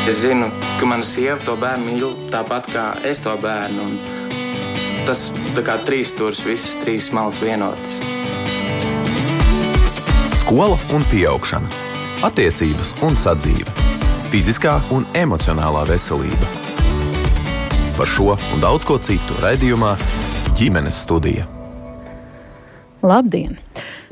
Es zinu, ka mana sieva to bērnu mīl tāpat kā es to bērnu. Un tas tā kā trīs stūris, visas trīs malas vienotas. Skola un pieaugšana, attiecības un sadzīve, fiziskā un emocionālā veselība. Par šo un daudz ko citu raidījumā Ģimenes studija. Labdien!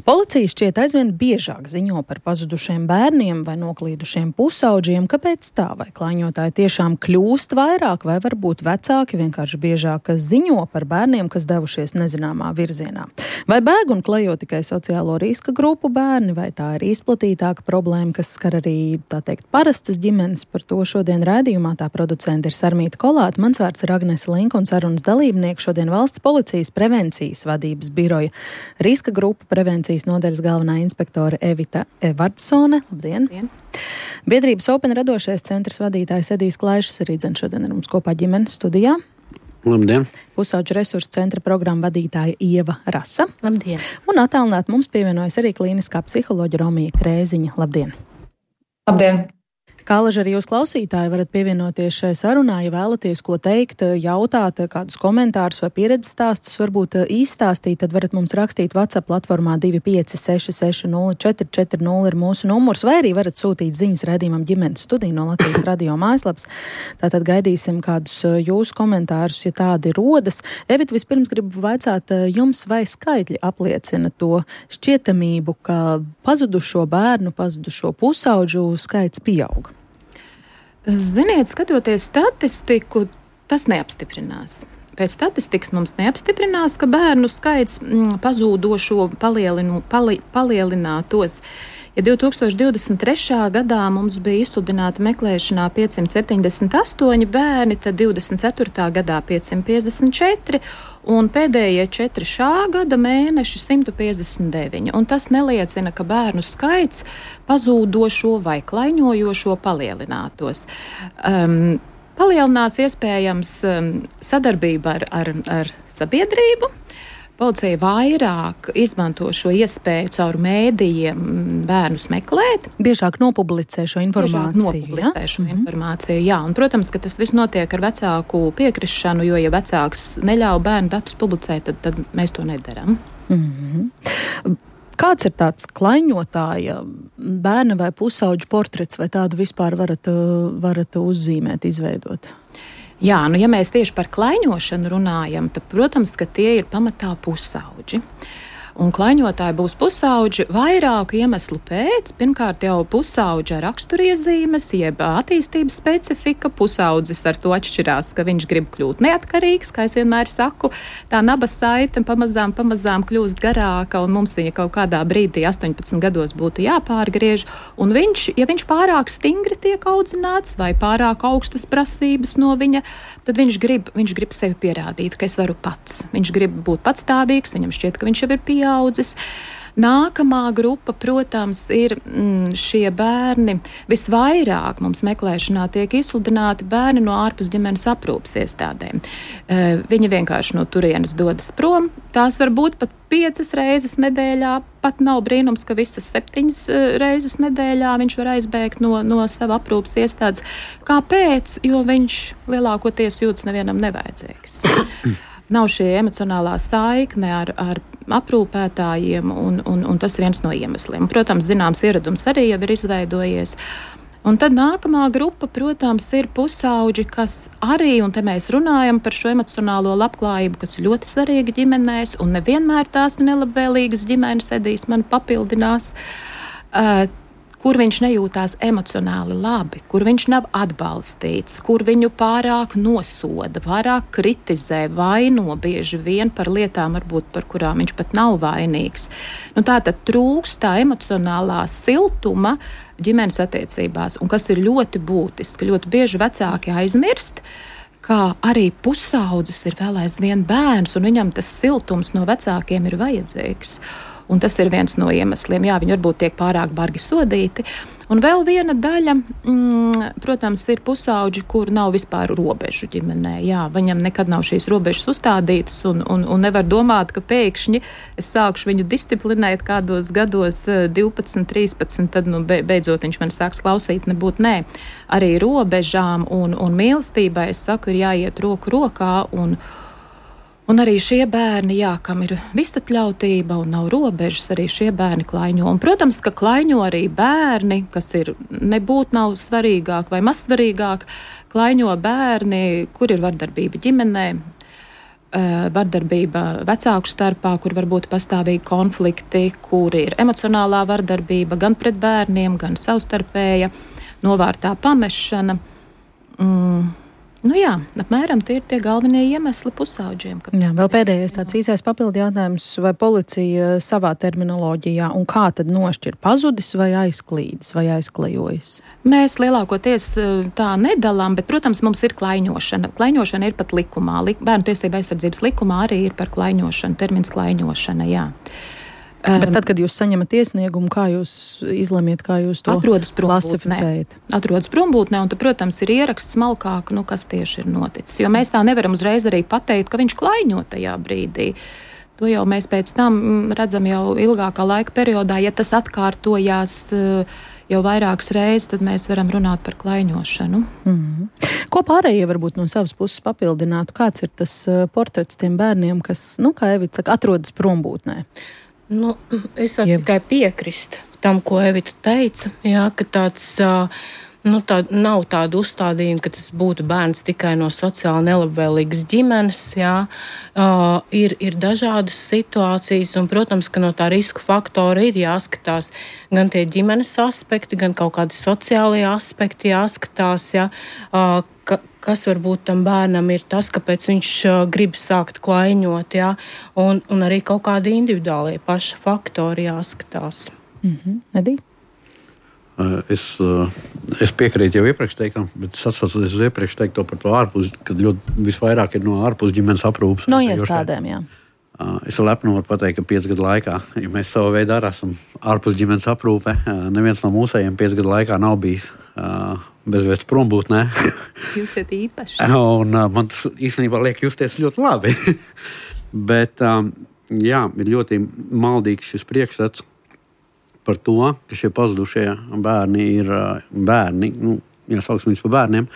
Policija šķiet aizvien biežāk ziņo par pazudušiem bērniem vai noklīdušiem pusaudžiem. Kāpēc tā? Vai klaiņotāji tiešām kļūst vairāk, vai varbūt vecāki vienkārši biežāk ziņo par bērniem, kas devušies nezināmā virzienā? Vai bēg un klejo tikai sociālo riska grupu bērni, vai tā ir izplatītāka problēma, kas skar arī, tā teikt, parastas ģimenes? Par to šodien raidījumā tā producente ir Sarmīta Kolāte. Mans vārds ir Agnese Linka un sarunas dalībnieki šodien Valsts policijas prevencijas vadības biroja riska grupu prevencijas nodaļas galvenā inspektore Evita Evardsone. Labdien! Labdien. Biedrības Open radošais centrs vadītājs Edijs Klaišs arī šodien ar mums kopā ģimenes studijā. Labdien! Pusauģu resursu centra programma vadītāja Ieva Rasa. Labdien! Un attālināt mums pievienojas arī klīniskā psiholoģa Romija Krēziņa. Labdien! Labdien! Kā laži arī jūs klausītāji varat pievienoties šai sarunā, ja vēlaties ko teikt, jautāt, kādus komentārus vai pieredzes stāstus varbūt izstāstīt, tad varat mums rakstīt WhatsApp platformā 25660 ir mūsu numurs, vai arī varat sūtīt ziņas raidījumam Ģimenes studija no Latvijas radio mājaslapas. Tātad gaidīsim kādus jūsu komentārus, ja tādi rodas. Evita, vispirms gribu vaicāt jums, vai skaitļi apliecina to šķietamību, ka pazudušo bērnu, pazudušo pusauģu skaits pieauga? Ziniet, skatoties statistiku, tas neapstiprinās. Pēc statistikas mums neapstiprinās, ka bērnu skaits pazūdošo palielinātos. Ja 2023. gadā mums bija izsludināti meklēšanā 578 bērni, tad 24. gadā 554 un pēdējie 4 šā gada mēneši 159. Un tas neliecina, ka bērnu skaits pazūdošo vai klaiņojošo palielinātos. Palielinās iespējams sadarbība ar sabiedrību. Policija vairāk izmanto šo iespēju caur mēdījiem bērnus meklēt. Biežāk nopublicē šo informāciju. Informāciju, jā. Un, protams, ka tas viss notiek ar vecāku piekrišanu, jo, ja vecāks neļauj bērnu datus publicēt, tad mēs to nedaram. Mm-hmm. Kāds ir tāds klaiņotāja bērna vai pusauģu portrets, vai tādu vispār varat uzzīmēt, izveidot? Jā, ja mēs tieši par klaiņošanu runājam, tad, protams, ka tie ir pamatā pusauģi. Un klaiņotāji būs pusauģi vairāku iemeslu pēc. Pirmkārt, jau pusauģa raksturiezīmes, jeb attīstības specifika. Pusaudzis ar to atšķirās, ka viņš grib kļūt neatkarīgs, kā es vienmēr saku. Tā naba saite pamazām kļūst garāka, un mums viņa kaut kādā brīdī 18 gados būtu jāpārgriež. Un ja viņš pārāk stingri tiek audzināts vai pārāk augstas prasības no viņa, tad viņš grib sevi pierādīt, ka es varu pats. Viņš grib būt patstāvīgs, viņam šķiet, ka viņš jau ir pieaudzis. Nākamā grupa, protams, ir šie bērni. Visvairāk mums meklēšanā tiek izsludināti bērni no ārpus ģimenes aprūpes iestādēm. Viņi vienkārši no turienes dodas prom. Tās var būt pat 5 reizes nedēļā. Pat nav brīnums, ka visas 7 reizes nedēļā viņš var aizbēgt no sava aprūpes iestādes. Kāpēc? Jo viņš lielākoties jūtas nevienam nevajadzīgs. Nav šī emocionālā saikne ar aprūpētājiem, un tas ir viens no iemesliem. Protams, zināms ieradums arī jau ir izveidojies. Un tad nākamā grupa, protams, ir pusauģi, kas arī, un te mēs runājam par šo emocionālo labklājību, kas ir ļoti svarīga ģimenēs, un nevienmēr tās nelabvēlīgas ģimenes Edijs man papildinās, kur viņš nejūtās emocionāli labi, kur viņš nav atbalstīts, kur viņu pārāk nosoda, pārāk kritizē, vaino bieži vien par lietām, varbūt par kurām viņš pat nav vainīgs. Tātad trūkst tā emocionālā siltuma ģimenes attiecībās, un kas ir ļoti būtiski, ļoti bieži vecāki aizmirst, ka arī pusaudzis ir vēl aizvien bērns, un viņam tas siltums no vecākiem ir vajadzīgs. Un tas ir viens no iemesliem. Jā, viņi varbūt tiek pārāk bargi sodīti. Un vēl viena daļa, protams, ir pusauģi, kur nav vispār robežu ģimenē. Jā, viņam nekad nav šīs robežas uzstādītas un nevar domāt, ka pēkšņi es sākšu viņu disciplinēt kādos gados 12, 13, tad beidzot viņš man sāks klausīt, nebūt nē. Arī robežām un mīlestībai, es saku, ir jāiet roku rokā un arī šie bērni, jā, kam ir visatļautība un nav robežas, arī šie bērni klaiņo. Un, protams, ka klaiņo arī bērni, kas ir nebūt nav svarīgāk vai mazsvarīgāk, klaiņo bērni, kur ir vardarbība ģimenē, vardarbība vecāku starpā, kur var būt pastāvīgi konflikti, kur ir emocionālā vardarbība gan pret bērniem, gan savstarpēja, novārtā pamešana. Nu jā, apmēram tie ir tie galvenie iemesli pusauģiem. Jā, vēl pēdējais tāds īsais papildu jautājums, vai policija savā terminoloģijā un kā tad nošķir pazudis vai aizklīdis vai aizklejojis? Mēs lielākoties tā nedalām, bet, protams, mums ir klaiņošana. Klaiņošana ir pat likumā. Bērnu tiesību aizsardzības likumā arī ir par klaiņošanu, termins klaiņošana, jā. Bet tad, kad jūs saņemat iesniegumu, kā jūs izlemiet, kā jūs to klasificējat? Atrodas prombūtnē, un tad, protams, ir ieraksts smalkāk, kas tieši ir noticis. Jo mēs tā nevaram uzreiz arī pateikt, ka viņš klaiņo tajā brīdī. To jau mēs pēc tam redzam jau ilgākā laika periodā. Ja tas atkārtojās jau vairākas reizes, tad mēs varam runāt par klaiņošanu. Ko pārējie varbūt no savas puses papildinātu? Kāds ir tas portrets tiem bērniem, kas, kā Evita saka, atrodas prombūtnē? Es varu tikai piekrist tam, ko Evita teica, jā, ka tāds, nav tāda uzstādījuma, ka tas būtu bērns tikai no sociāli nelabvēlīgas ģimenes, jā. Ir dažādas situācijas, un, protams, ka no tā risku faktora ir jāskatās gan tie ģimenes aspekti, gan kaut kādi sociālie aspekti jāskatās, jā, kas varbūt tam bērnam ir tas, kāpēc viņš grib sākt klaiņot, jā, un arī kaut kādi individuālie paša faktori jāskatās. Edī? Es piekrītu jau iepriekš teiktam, bet es atsaucos uz iepriekš teikto par to ārpus, kad ļoti visvairāk ir no ārpus ģimenes aprūpes. No iestādēm, jā. Es lepni varu pateikt, ka 5 gadu laikā, ja mēs savu veidu arī esam ārpus ģimenes aprūpe, neviens no mūsējiem 5 gadu laikā nav bijis bezvēsts prombūtnē. Jūs esat īpaši. Un man tas īstenībā liek justies ļoti labi. Bet, jā, ir ļoti maldīgs šis priekšstats par to, ka šie pazudušie bērni ir bērni, jāsauksim viņus par bērniem,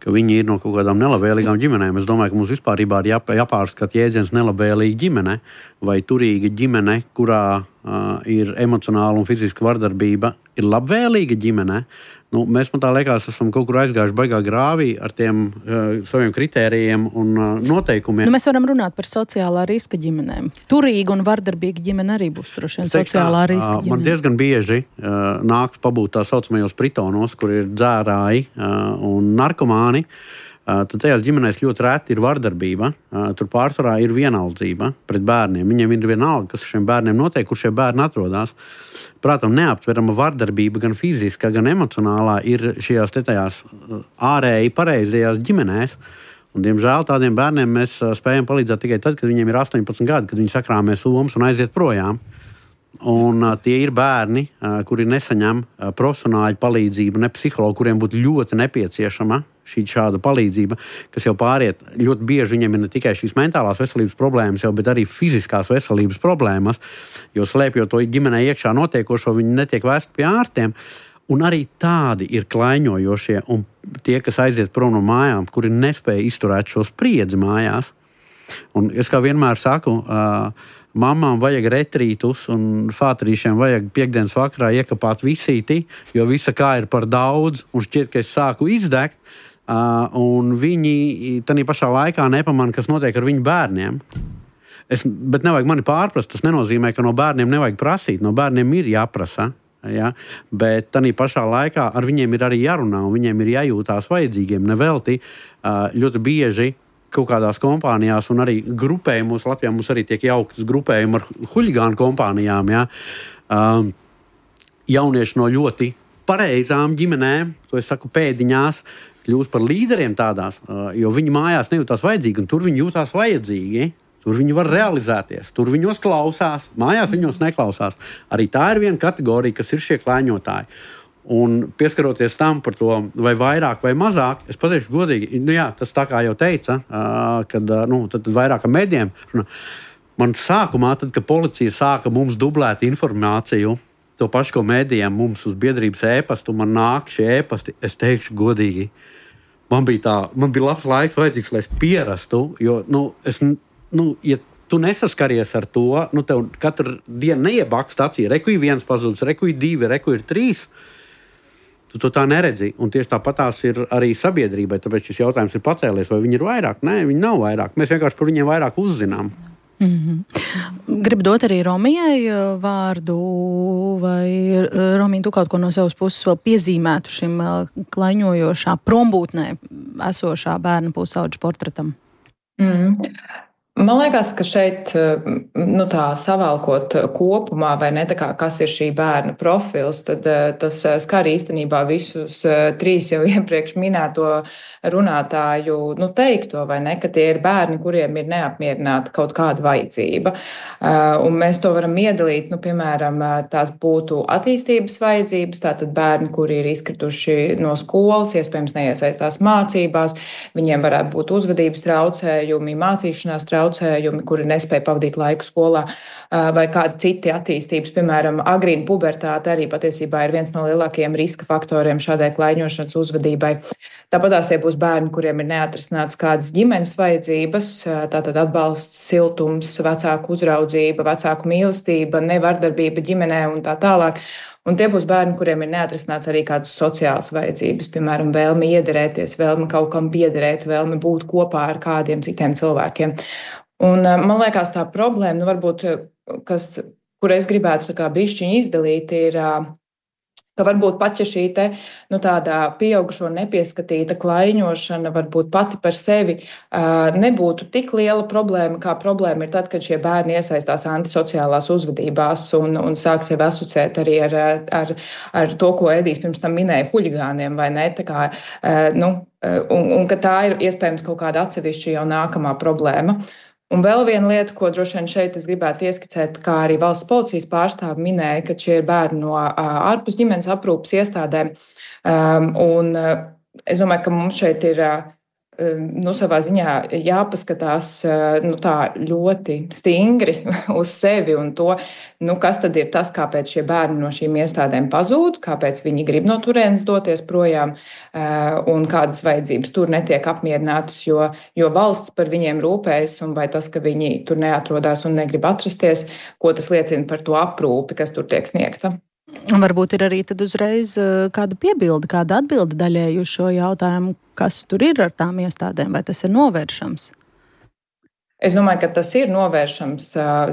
ka viņi ir no kaut kādām nelabvēlīgām ģimenēm. Es domāju, ka mums vispārībā ir jāpārskata jēdziens nelabvēlīga ģimene vai turīga ģimene, kurā ir emocionāla un fiziska vardarbība, ir labvēlīga ģimene. Mēs, man tā liekas, esam kaut kur aizgājuši baigā grāvī ar tiem saviem kritērijiem un noteikumiem. Mēs varam runāt par sociālā riska ģimenēm. Turīga un vardarbīga ģimene arī būs droši vien sociālā riska ģimene. Man diezgan bieži nāks pabūt tā saucamajos pritonos, kur ir dzērāji un narkomāni. Tad tajās ģimenēs ļoti reti ir vardarbība. Tur pārsvarā ir vienaldzība pret bērniem. Viņiem ir vienalga, kas šiem bērniem notiek, kur šie bērni atrodas. Protams, neaptverama vardarbība gan fiziskā, gan emocionālā ir šajās tajās ārēji pareizajās ģimenēs. Un, diemžēl tādiem bērniem mēs spējam palīdzēt tikai tad, kad viņiem ir 18 gadi, kad viņi sakrāmē somas un aiziet projām. Un tie ir bērni, kuri nesaņem profesionāļu palīdzību, ne psihologu, kuriem būtu ļoti nepieciešama šāda palīdzība, kas jau pāriet ļoti bieži. Viņiem ir ne tikai šīs mentālās veselības problēmas, bet arī fiziskās veselības problēmas, jo slēpjot to ģimenē iekšā notiekošo, viņi netiek vēsti pie ārstiem. Un arī tādi ir klaiņojošie, un tie, kas aiziet prom no mājām, kuri nespēja izturēt šo spriedzi mājās. Un es kā vienmēr saku, mamām vajag retrītus un fātrīšiem vajag piekdienas vakarā iekapāt visīti, jo visa kā ir par daudz, un šķiet, ka es sāku izdegt, un viņi tādā pašā laikā nepamana, kas notiek ar viņu bērniem. Bet nevajag mani pārprast, tas nenozīmē, ka no bērniem nevajag prasīt, no bērniem ir jāprasa. Ja? Bet tādā pašā laikā ar viņiem ir arī jārunā, un viņiem ir jājūtās vajadzīgiem. Nevelti ļoti bieži kaut kādās kompānijās un arī grupējumos, Latvijā mums arī tiek jauktas grupējumi ar huļigānu kompānijām, ja? Jaunieši no ļoti pareizām ģimenēm, to es saku pēdiņās, kļūst par līderiem tādās, jo viņi mājās nejūtās vajadzīgi, un tur viņi jūtās vajadzīgi. Tur viņi var realizēties, tur viņos klausās, mājās viņos neklausās. Arī tā ir viena kategorija, kas ir šie klaiņotāji. Un pieskaroties tam par to, vai vairāk vai mazāk, es pateikšu godīgi, tas tā kā jau teica, kad tad vairāk ar medijiem. Man sākumā, tad, kad policija sāka mums dublēt informāciju, to pašu, ko medijiem mums uz biedrības ēpastu, man nāk šie ēpasti, es teikšu godīgi, man bija labs laiks vajadzīgs, lai es pierastu, jo, ja tu nesaskaries ar to, tev katru dienu neiebakst acī, reku ir 1 pazudis, reku ir 2, reku ir 3, tu to tā neredzi. Un tieši tāpatās ir arī sabiedrībai, tāpēc šis jautājums ir pacēlies, vai viņi ir vairāk? Nē, viņi nav vairāk. Mēs vienkārši par viņiem vairāk uzzinām. Gribu dot arī Romijai vārdu, vai Romija, tu kaut ko no savas puses vēl piezīmētu šim klaiņojošā prombūtnē esošā bērna pusauģa portretam? Man liekas, ka šeit, tā savalkot kopumā, vai ne, tā kā kas ir šī bērna profils, tad tas skar īstenībā visus 3 jau iepriekš minēto runātāju, teikto, vai ne, ka tie ir bērni, kuriem ir neapmierināta kaut kāda vajadzība. Un mēs to varam iedalīt, piemēram, tās būtu attīstības vajadzības, tātad bērni, kuri ir izkrituši no skolas, iespējams neiesaistās mācībās, viņiem varētu būt uzvedības traucējumi, mācīšanās traucējumi, kuri nespēja pavadīt laiku skolā, vai kādi citi attīstības, piemēram, agrīna pubertāte arī patiesībā ir viens no lielākajiem riska faktoriem šādai klaiņošanas uzvedībai. Tāpatās būs bērni, kuriem ir neatrisināts kādas ģimenes vajadzības, tātad atbalsts, siltums, vecāku uzraudzība, vecāku mīlestība, nevardarbība ģimenē un tā tālāk. Un tie būs bērni, kuriem ir neatrisināts arī kādas sociālas vajadzības, piemēram, vēlme iederēties, vēlme kaut kam piederēt, vēlme būt kopā ar kādiem citiem cilvēkiem. Un man liekas, tā problēma, varbūt, kur es gribētu tā kā bišķiņi izdalīt, ir, ka varbūt pat, ja šī tāda pieaugušo nepieskatīta klaiņošana varbūt pati par sevi nebūtu tik liela problēma, kā problēma ir tad, kad šie bērni iesaistās antisociālās uzvedībās un sāk sevi asociēt arī ar to, ko Edijs pirms tam minēja, huligāniem, vai ne? Tā kā, un ka tā ir iespējams kaut kāda atsevišķa jau nākamā problēma. Un vēl viena lieta, ko droši vien šeit es gribētu ieskicēt, kā arī valsts policijas pārstāvi minēja, ka šie ir bērni no ārpus ģimenes aprūpes iestādēm. Un es domāju, ka mums šeit ir savā ziņā jāpaskatās tā ļoti stingri uz sevi un to, kas tad ir tas, kāpēc šie bērni no šīm iestādēm pazūd, kāpēc viņi grib no turienes doties projām un kādas vajadzības tur netiek apmierinātas, jo valsts par viņiem rūpējas un vai tas, ka viņi tur neatrodās un negrib atrasties, ko tas liecina par to aprūpi, kas tur tiek sniegta. Varbūt ir arī tad uzreiz kāda piebilde, kāda atbilde daļēji uz šo jautājumu, kas tur ir ar tām iestādēm, vai tas ir novēršams? Es domāju, ka tas ir novēršams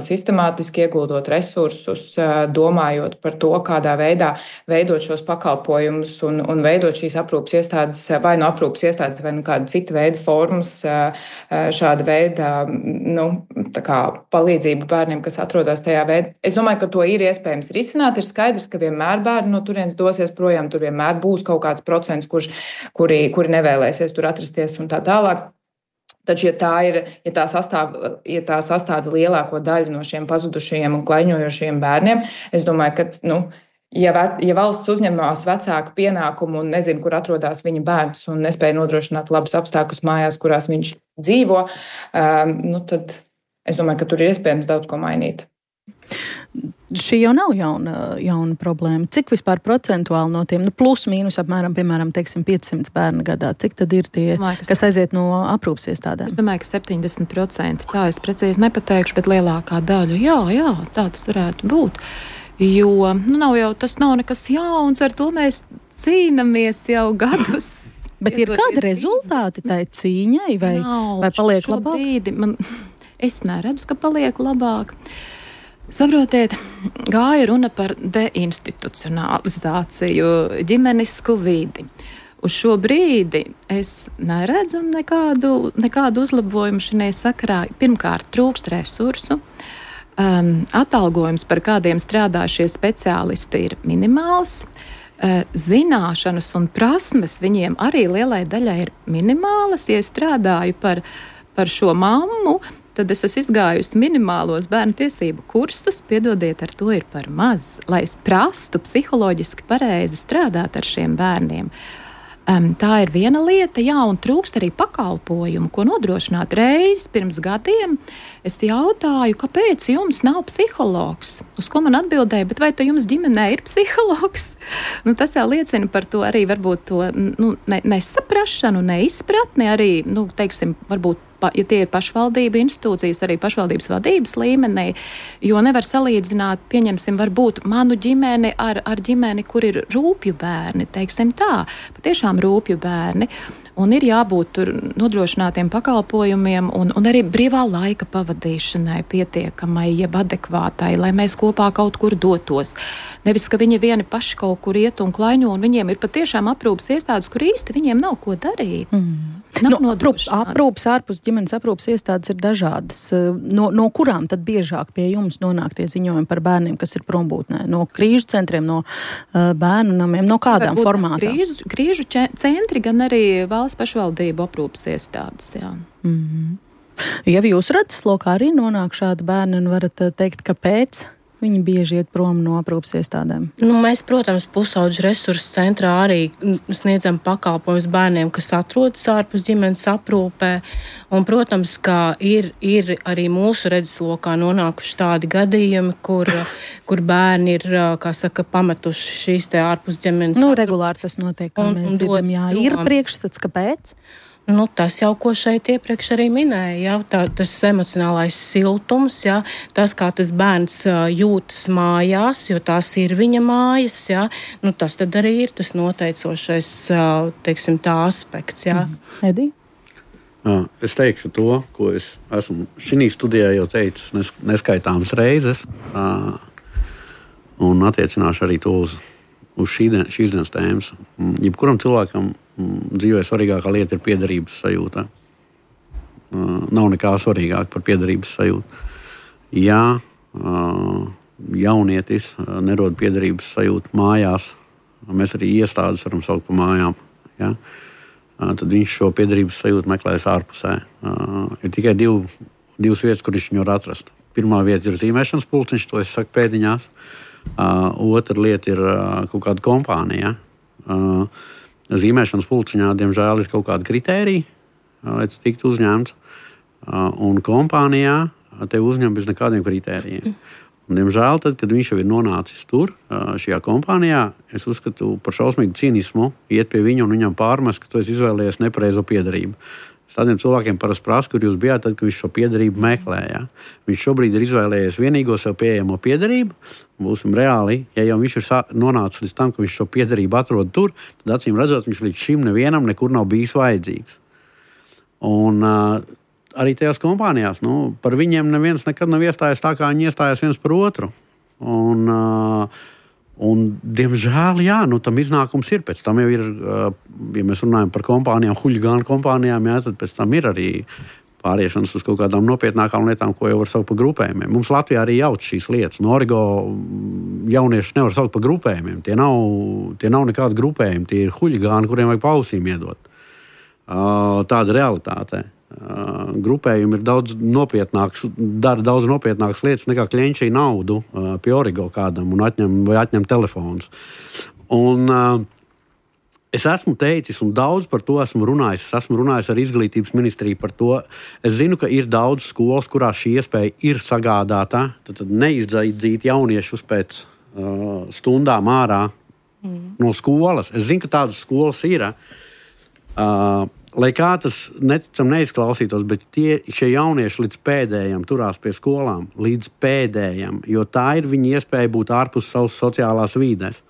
sistemātiski ieguldot resursus, domājot par to, kādā veidā veidot šos pakalpojumus un veidot šīs aprūpes iestādes, vai no aprūpes iestādes, vai no kāda cita veida formas, šāda veida palīdzību bērniem, kas atrodas tajā veidā. Es domāju, ka to ir iespējams risināt. Ir skaidrs, ka vienmēr bērni no turienes dosies projām, tur vienmēr būs kaut kāds procents, kuri nevēlēsies tur atrasties un tā tālāk. Taču, ja tā sastāda lielāko daļu no šiem pazudušajiem un klaiņojošajiem bērniem, es domāju, ka, ja valsts uzņemās vecāku pienākumu un nezina, kur atrodas viņa bērns un nespēja nodrošināt labus apstākļus mājās, kurās viņš dzīvo, tad es domāju, ka tur ir iespējams daudz ko mainīt. Šī jau nav jauna problēma. Cik vispār procentuāli no tiem, plus mīnus apmēram, piemēram, 500 bērnu gadā, cik tad ir tie, kas aiziet no aprūpes iestādēm? Es domāju, ka 70%. Tā es precīzi nepateikšu, bet lielākā daļa, jā, tā tas varētu būt. Jo, tas nav nekas jauns, ar to mēs cīnamies jau gadus. Bet ir kādi rezultāti tai cīņai, vai paliek labāk? Es neredzu, ka paliek labāk. Saprotiet, gāja runa par deinstitucionalizāciju, ģimenisku vidi. Uz šo brīdi es neredzu nekādu uzlabojumu šajā sakarā. Pirmkārt, trūkst resursu. Atalgojums, par kādiem strādā šie speciālisti, ir minimāls. Zināšanas un prasmes viņiem arī lielai daļai ir minimālas. Ja strādāju par šo mammu, tad es esmu izgājusi minimālos bērnu tiesību kursus. Piedodiet, ar to ir par maz, lai es prastu psiholoģiski pareizi strādāt ar šiem bērniem. Tā ir viena lieta, jā, un trūkst arī pakalpojumu, ko nodrošināt. Reiz pirms gadiem es jautāju, kāpēc jums nav psihologs? Uz ko man atbildēja, bet vai jums ģimenē ir psihologs? Tas jau liecina par to arī varbūt to nesaprašanu, neizpratni, arī, teiksim, varbūt, ja tie ir pašvaldību institūcijas, arī pašvaldības vadības līmenī, jo nevar salīdzināt, pieņemsim, varbūt manu ģimeni ar ģimeni, kur ir rūpju bērni, teiksim tā, patiešām rūpju bērni. Un ir jābūt tur nodrošinātiem pakalpojumiem un arī brīvā laika pavadīšanai pietiekamai, jeb adekvātai, lai mēs kopā kaut kur dotos. Nevis, ka viņi vieni paši kaut kur iet un klaiņo, un viņiem ir patiešām aprūpas iestādes, kur īsti viņiem nav ko darīt. Aprūpas, ārpus ģimenes aprūpas iestādes ir dažādas. No kurām tad biežāk pie jums nonāk tie ziņojumi par bērniem, kas ir prombūtnē? No krīžu centriem, no bērnu namiem, no kādām formātām? Krīžu centri, gan arī valsts pašvaldību aprūpas iestādes, jā. Ja jūsu redzeslokā arī nonāk šādi bērni, un varat teikt, kāpēc viņi bieži iet prom no aprūpas iestādēm? Mēs, protams, pusauģu resursu centrā arī sniedzam pakalpojumus bērniem, kas atrodas ārpus ģimenes aprūpē. Un, protams, ka ir arī mūsu redzeslokā nonākuši tādi gadījumi, kur bērni ir, kā saka, pametuši šīs te ārpus ģimenes. Regulāri tas notiek, kā mēs dzirdam, jā. Ir priekšstats, kāpēc? Tas jau, ko šeit iepriekš arī minēja, tas emocionālais siltums, jā, tas, kā tas bērns jūtas mājās, jo tās ir viņa mājas, jā, tas tad arī ir tas noteicošais, teiksim, tā aspekts, jā. Edī? Es teikšu to, ko es esmu šī studijā jau teicis neskaitāmas reizes, un attiecināšu arī to uz šīs dienas tēmas. Jebkuram cilvēkam dzīvē svarīgākā lieta ir piederības sajūta. Nav nekā svarīgāk par piederības sajūtu. Ja jaunietis nerod piederības sajūtu mājās, mēs arī iestādes varam saukt par mājām, ja? Tad viņš šo piederības sajūtu meklēs ārpusē. Ir tikai divas vietas, kur viņš viņu var atrast. Pirmā vieta ir zīmēšanas pulciņš, to es saku pēdiņās. Otra lieta ir kaut kāda kompānija. Zīmēšanas pulciņā, diemžēl, ir kaut kāda kritērija, lai tas tiktu uzņemts. Un kompānijā tevi uzņem bez nekādiem kritērijiem. Un, diemžēl, tad, kad viņš jau ir nonācis tur, šajā kompānijā, es uzskatu par šausmīgu cīnismu iet pie viņa un viņam pārmest, ka tu esi izvēlējies nepareizo piederību. Tādiem cilvēkiem parasti prasa, kur jūs bijāt, tad, kad viņš šo piederību meklēja. Viņš šobrīd ir izvēlējies vienīgo sev pieejamo piederību. Būsim reāli, ja jau viņš ir nonācis līdz tam, ka viņš šo piederību atrod tur, tad acīm redzot, viņš līdz šim nevienam nekur nav bijis vajadzīgs. Un arī tajās kompānijās, par viņiem neviens nekad nav iestājies tā, kā viņi iestājās viens par otru. Un diemžēl, jā, tam iznākums ir. Pēc tam jau ir, ja mēs runājam par kompānijām, huļigānu kompānijām, jā, tad pēc tam ir arī pāriešanas uz kaut kādām nopietnākām lietām, ko jau var saukt par grupējumiem. Mums Latvijā arī jauc šīs lietas. No Origo jaunieši nevar saukt par grupējumiem. Tie nav nekādi grupējumi. Tie ir huļigāni, kuriem vajag pausīm iedot. Tāda realitāte. Grupējumi ir dara daudz nopietnākas lietas nekā klienčī naudu pie Origo kādam un atņem telefonus. Un es esmu teicis un daudz par to esmu runājis. Es esmu runājis ar izglītības ministriju par to. Es zinu, ka ir daudz skolas, kurās šī iespēja ir sagādāta. Tad neizdzīt jauniešus pēc stundām ārā no skolas. Es zinu, ka tādas skolas ir. Lai kā tas neticam neizklausītos, bet šie jaunieši līdz pēdējiem turās pie skolām, līdz pēdējiem, jo tā ir viņa iespēja būt ārpus savas sociālās vīdes.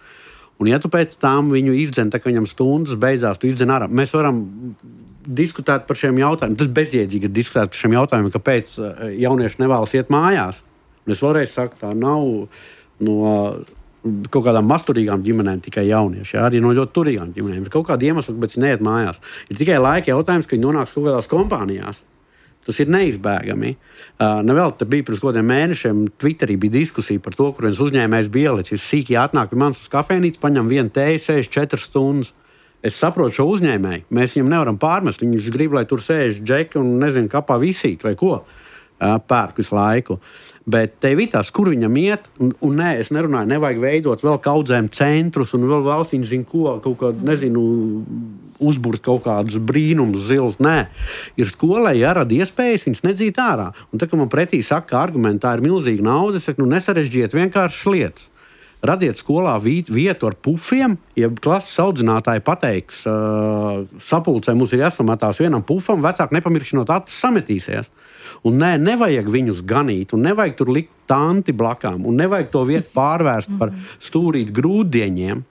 Un ja tu pēc tam viņu izdzen, tā kā viņam stundas beidzās, tu izdzen ārā, mēs varam diskutēt par šiem jautājumiem. Tas bezjēdzīgi ir diskutēt par šiem jautājumiem, kāpēc jaunieši nevēlas iet mājās. Un es vēlreiz saku, tā nav no kaut kādām masturīgām ģimenēm tikai jaunieši, jā, arī no ļoti turīgām ģimenēm. Ir kaut kāda iemesla, kāpēc viņi neiet mājās. Ir tikai laika jautājums, ka viņi nonāks kaut kādās kompānijās. Tas ir neizbēgami. Nevēl te bija pirms kādiem mēnešiem Twitterī bija diskusija par to, kur viens uzņēmējs bija ielicis sīki atnāk pie manis uz kafejnīcu, paņem vienu tēju, sēž 4 stundas. Es saprotu šo uzņēmēju. Mēs viņam nevaram pārmest. Viņš grib, lai tur sēž džeki un nezinu, kapā visīt vai ko. pērk visu laiku. Bet te vitās, kur viņam iet, un nē, es nerunāju, nevajag veidot vēl kaudzēm centrus, un vēl valstīņi zina, ko, kaut kādu, nezinu, uzburt kaut kādus brīnumus, zils, nē. Ir skolai jārada iespējas, viņas nedzīt ārā. Un tā, ka man pretī saka, ka argumentā ir milzīga nauda, es saku, nesarežģiet vienkāršas lietas. Radiet skolā vietu ar pufiem, ja klases audzinātāji pateiks, sapulcē mums ir jāsamatās vienam pufam, vecāki nepamiršinot acis sametīsies. Un nevajag viņus ganīt, un nevajag tur likt tanti blakām, un nevajag to vietu pārvērst par stūrīt grūdieņiem.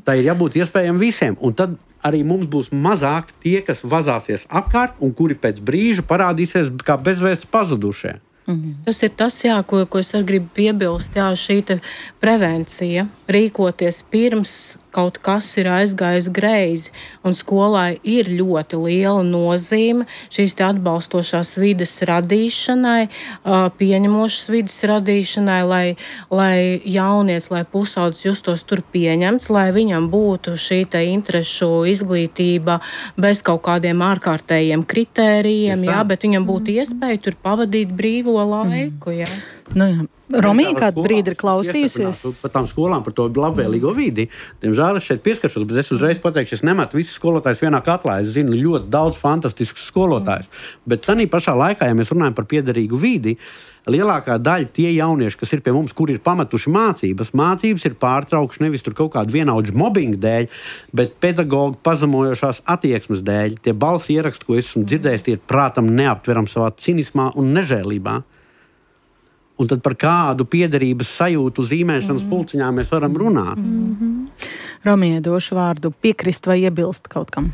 Tā ir jābūt iespējami visiem, un tad arī mums būs mazāk tie, kas vazāsies apkārt, un kuri pēc brīža parādīsies kā bezvēsts pazudušie. Tas ir tas, jā, ko es arī gribu piebilst, jā, šī prevencija, rīkoties pirms kaut kas ir aizgājis greizi, un skolai ir ļoti liela nozīme šīs atbalstošās vides radīšanai, pieņemošas vides radīšanai, lai jaunietis, lai pusaudzis justos tur pieņemts, lai viņam būtu šī interešu izglītība bez kaut kādiem ārkārtējiem kritērijiem, jā, bet viņam būtu iespēja tur pavadīt brīvo laiku, jā. Nu jā. Romija kādu brīdi ir klausījusies par tām skolām, par to labvēlīgo vidi. Diemžēl es šeit pieskaršos, bet es uzreiz pateikšu, es nemetu visus skolotājus vienā katlā. Es zinu ļoti daudz fantastiskus skolotājus. Bet tādā pašā laikā, ja mēs runājam par piederīgu vidi, lielākā daļa tie jaunieši, kas ir pie mums, kuri ir pametuši mācības ir pārtraukši nevis tur kaut kādu vienaudžu mobbingu dēļ, bet pedagogu pazemojošās attieksmes dēļ. Tie balss ieraksti, ko esmu dzirdējis, tie ir prātam neaptveram savā cinismā un nežēlībā. Un tad par kādu piederības sajūtu zīmēšanas pulciņā mēs varam runāt. Romijai došu vārdu piekrist vai iebilst kaut kam.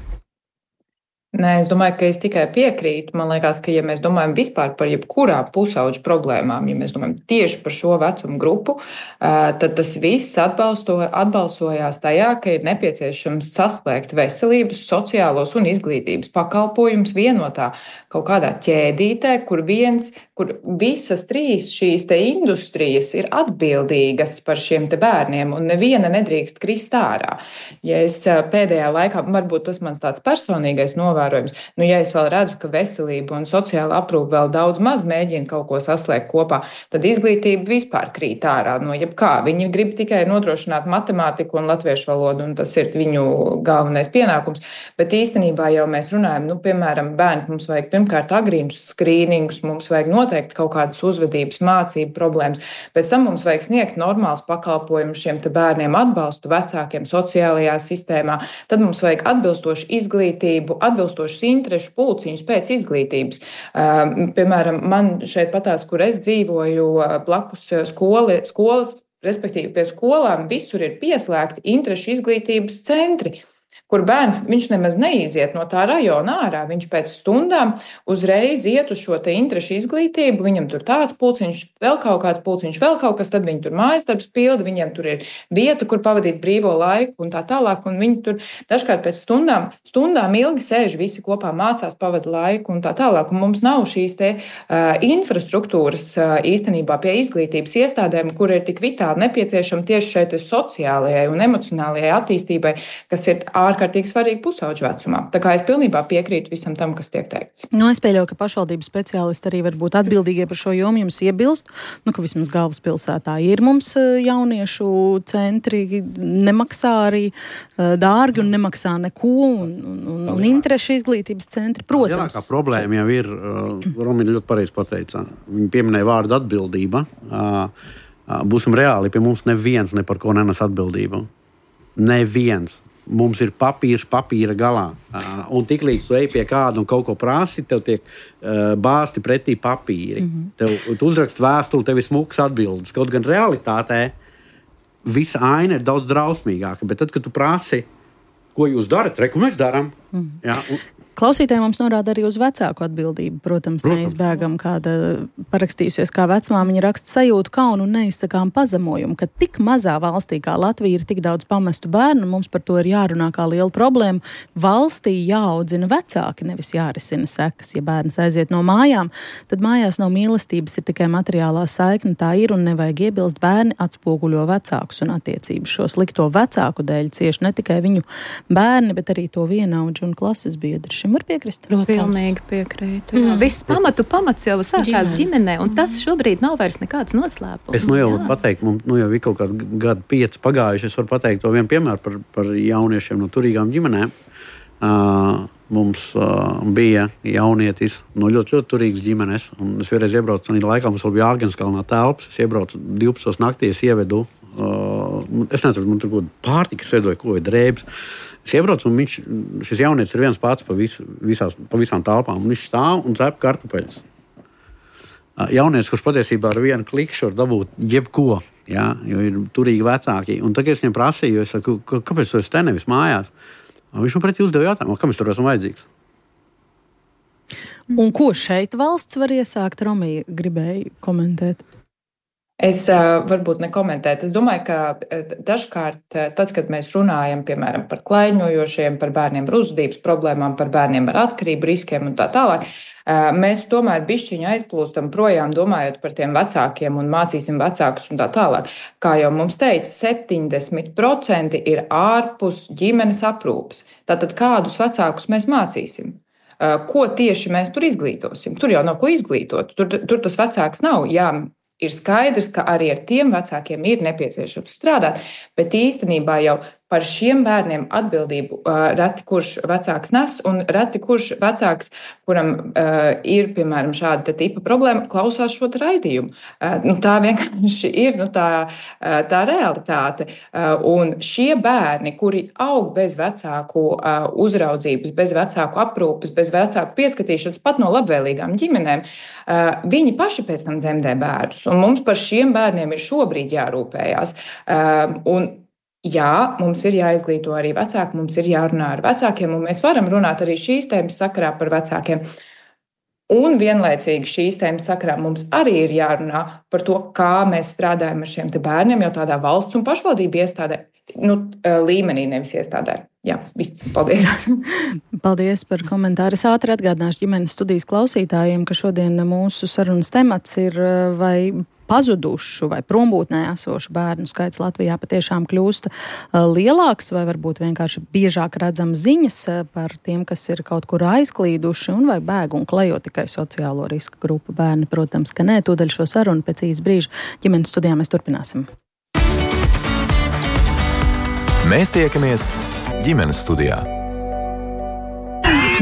Nē, es domāju, ka es tikai piekrītu. Man liekas, ka ja mēs domājam vispār par jebkurām pusauģu problēmām, ja mēs domājam tieši par šo vecumu grupu, tad tas viss atbalsojās tajā, ka ir nepieciešams saslēgt veselības, sociālos un izglītības pakalpojumus vienotā kaut kādā ķēdītē, kur visas trīs šīs te industrijas ir atbildīgas par šiem te bērniem, un neviena nedrīkst krist ārā. Ja es pēdējā laikā, varbūt tas mans tāds personīgais novērojums, ja es vēl redzu, ka veselība un sociāla aprūpe vēl daudz maz mēģina kaut ko saslēgt kopā, tad izglītība vispār krīt ārā no jebkā. Viņi grib tikai nodrošināt matemātiku un latviešu valodu, un tas ir viņu galvenais pienākums. Bet īstenībā jau mēs runājam, piemēram, bērns mums vajag pirmkārt agrīnus skrīningus, mums vajag noteikti kaut kādas uzvedības, mācību problēmas. Pēc tam mums vajag sniegt normāls pakalpojumus šiem te bērniem, atbalstu vecākiem sociālajā sistēmā. Tad mums vajag atbilstošu izglītību, atbilstošus interešu pulciņus pēc izglītības. Piemēram, man šeit patās, kur es dzīvoju, blakus skolas, respektīvi pie skolām, visur ir pieslēgti interešu izglītības centri, kur bērns, viņš nemaz neiziet no tā rajona ārā, viņš pēc stundām uzreiz iet uz šo te interešu izglītību, viņam tur tāds pulciņš, vēl kaut kāds pulciņš, vēl kaut kas, tad viņi tur mājasdarbs pilda, viņiem tur ir vieta, kur pavadīt brīvo laiku un tā tālāk, un viņi tur dažkārt pēc stundām ilgi sēž visi kopā, mācās, pavada laiku un tā tālāk, un mums nav šīs te infrastruktūras īstenībā pie izglītības iestādēm, kur ir tik vitāli nepieciešama tieši šeit sociālajai un emocionālajai attīstībai, kas ir ārkārtīgi svarīgi pusauģu vecumā. Tā kā es pilnībā piekrītu visam tam, kas tiek teikts. Es pieļauju, ka pašvaldības speciālisti arī var būt atbildīgie par šo jomu, jums iebilst, ka vismaz galvaspilsētā ir mums jauniešu centri, nemaksā arī dārgi un nemaksā neko, un interešu izglītības centri, protams. Lielākā problēma jau ir, Romina ļoti pareizi pateica, viņa pieminēja vārdu atbildība. Būsim reāli, pie mums neviens ne par ko nenes atbildību. Neviens. Mums ir papīrs papīra galā. Un tiklīdz tu ej pie kāda un kaut ko prasi, tev tiek bāzti pretī papīri. Tu uzrakst vēstuli, tev ir smuks atbildes. Kaut gan realitātē visa aina ir daudz drausmīgāka. Bet tad, kad tu prasi, ko jūs darat, ko mēs darām, Klausītāji mums norāda arī uz vecāku atbildību. Protams, neizbēgam kāda parakstījusies kā vecmāmiņa raksta sajūtu kaunu un neizsakām pazemojumu, ka tik mazā valstī kā Latvija ir tik daudz pamestu bērnu, mums par to ir jārunā kā liela problēma. Valstī jāaudzina vecāki, nevis jārisina sekas. Ja bērns aiziet no mājām, tad mājās nav mīlestības, ir tikai materiālā saikne, tā ir un nevajag iebilst, bērni atspoguļo vecākus un attiecības. Šo slikto vecāku dēļ cieši ne tikai viņu bērni, bet arī to vienaudžu un klases biedri. šim var piekrist? Pilnīgi piekrītu. Viss pamats jau sākās ģimenē, un tas šobrīd nav vairs nekāds noslēpums. Es jau varu pateikt, mums jau ir kaut kādi gadi 5 pagājuši. Es varu pateikt to vienu piemēru par jauniešiem no turīgām ģimenēm. Mums bija jaunietis no ļoti, ļoti turīgas ģimenes. Es vienreiz iebraucu, tādā laikā mums vēl bija Āgenskalnā telpas. Es iebraucu 12 naktī, es ievedu, es nezinu, man tur kaut kāda pārtika, es vedoju, ko ir drēbes. Es iebraucu, un šis jaunietis ir viens pats pa visām telpām. Viņš stāv un cep kartupeļus. Jaunietis, kurš patiesībā ar vienu klikšķi var dabūt jebko, ja, jo ir turīgi vecāki. Un tagad es viņam prasīju, es saku, kāpēc tu esi te nevis mājās? Viņš man pretī uzdeva jautājumu, kam es tur esmu vajadzīgs. Un ko šeit valsts var iesākt? Romija gribēja komentēt. Es varbūt nekomentētu. Es domāju, ka dažkārt, tad, kad mēs runājam, piemēram, par klaiņojošiem, par bērniem ar uzvedības problēmām, par bērniem ar atkarību riskiem un tā tālāk, mēs tomēr bišķiņu aizplūstam projām, domājot par tiem vecākiem un mācīsim vecākus un tā tālāk. Kā jau mums teica, 70% ir ārpus ģimenes aprūpes. Tātad kādus vecākus mēs mācīsim? Ko tieši mēs tur izglītosim? Tur jau nav ko izglītot. Tur tas vecāks nav. Jā, ir skaidrs, ka arī ar tiem vecākiem ir nepieciešams strādāt, bet īstenībā jau par šiem bērniem atbildību reti kurš vecāks nes, un reti kurš vecāks, kuram ir, piemēram, šāda tipa problēma, klausās šo raidījumu. Tā vienkārši ir tā realitāte. Un šie bērni, kuri aug bez vecāku uzraudzības, bez vecāku aprūpes, bez vecāku pieskatīšanas, pat no labvēlīgām ģimenēm, viņi paši pēc tam dzemdē bērnus. Un mums par šiem bērniem ir šobrīd jārūpējās. Jā, mums ir jāizglīto arī vecāki, mums ir jārunā ar vecākiem, un mēs varam runāt arī šīs tēmas sakarā par vecākiem. Un vienlaicīgi šīs tēmas sakarā mums arī ir jārunā par to, kā mēs strādājam ar šiem te bērniem, jau tādā valsts un pašvaldību iestādē, līmenī, nevis iestādē. Jā, viss. Paldies. Paldies par komentāru. Es ātri atgādināšu ģimenes studijas klausītājiem, ka šodien mūsu sarunas temats ir vai pazudušu vai prombūtnē esošu bērnu skaits Latvijā patiešām kļūst lielāks, vai varbūt vienkārši biežāk redzam ziņas par tiem, kas ir kaut kur aizklīduši, un vai bēg un klejo tikai sociālo riska grupu bērni. Protams, ka nē, tūdaļ šo sarunu pēc īsa brīža ģimenes studijā mēs turpināsim. Mēs tiekamies ģimenes studijā.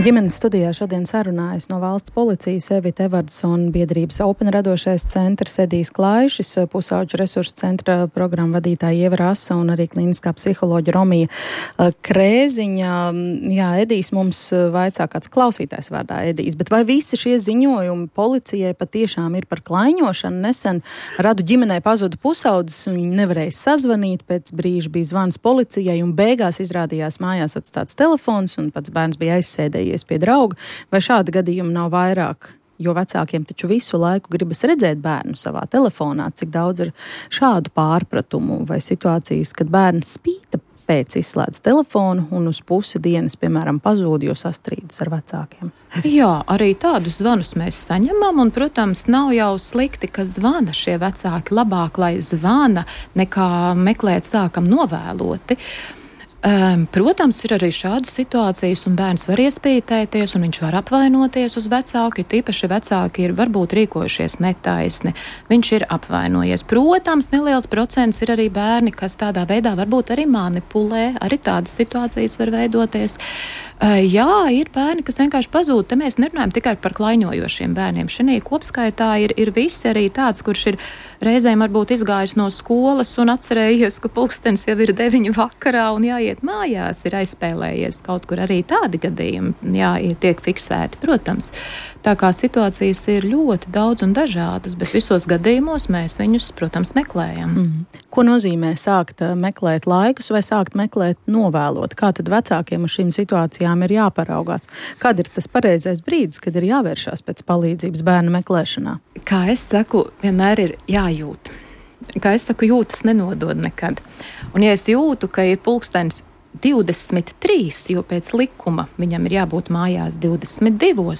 Ģimenes studijā šodien sarunājas no valsts policijas Evita Evardsona, biedrības Open radošais centrs Edijs Klaišis, pusauģu resursu centra programmu vadītāja Ieva Rasa un arī klīniskā psiholoģa Romija Krēziņa. Jā, Edijs mums vaicā kāds klausītājs vārdā Edijs, bet vai visi šie ziņojumi policijai patiešām ir par klaiņošanu? Nesen Radu ģimenei pazuda pusaudzis un viņi nevarēja sazvanīt, pēc brīža bija zvans policijai un beigās izrādījās mājās atstāts telefons un pats bērns bija aizsēdējies pie drauga, vai šādi gadījumi nav vairāk? Jo vecākiem taču visu laiku gribas redzēt bērnu savā telefonā, cik daudz ir šādu pārpratumu vai situācijas, kad bērns spīta pēc izslēdz telefonu un uz pusi dienas, piemēram, pazūd, jo sastrīdas ar vecākiem. Jā, arī tādus zvanus mēs saņemam, un, protams, nav jau slikti, ka zvana šie vecāki. Labāk, lai zvana, nekā meklēt sākam novēloti. Protams, ir arī šādas situācijas, un bērns var iespītēties, un viņš var apvainoties uz vecāku, tīpaši vecāki ir varbūt rīkojušies netaisni. Viņš ir apvainojies. Protams, neliels procents ir arī bērni, kas tādā veidā varbūt arī manipulē, arī tādas situācijas var veidoties. Jā, ir bērni, kas vienkārši pazūd. Te mēs nerunājam tikai par klaiņojošiem bērniem. Šī kopskaitā ir visi arī tāds, kurš ir reizēm varbūt izgājis no skolas un atcerējies, ka pulkstenis jau ir 9 vakarā un jāiet mājās, ir aizspēlējies kaut kur. Arī tādi gadījumi, jā, tiek fiksēti, protams. Tā kā situācijas ir ļoti daudz un dažādas, bet visos gadījumos mēs viņus, protams, meklējam. Ko nozīmē sākt meklēt laikus vai sākt meklēt novēlot? Kā tad vecākiem uz šīm situācijām ir jāparaugās? Kad ir tas pareizais brīdis, kad ir jāvēršās pēc palīdzības bērnu meklēšanā? Kā es saku, vienmēr ir jājūt. Kā es saku, jūtas nenodod nekad. Un ja es jūtu, ka ir pulkstenis 23, jo pēc likuma viņam ir jābūt mājās 22,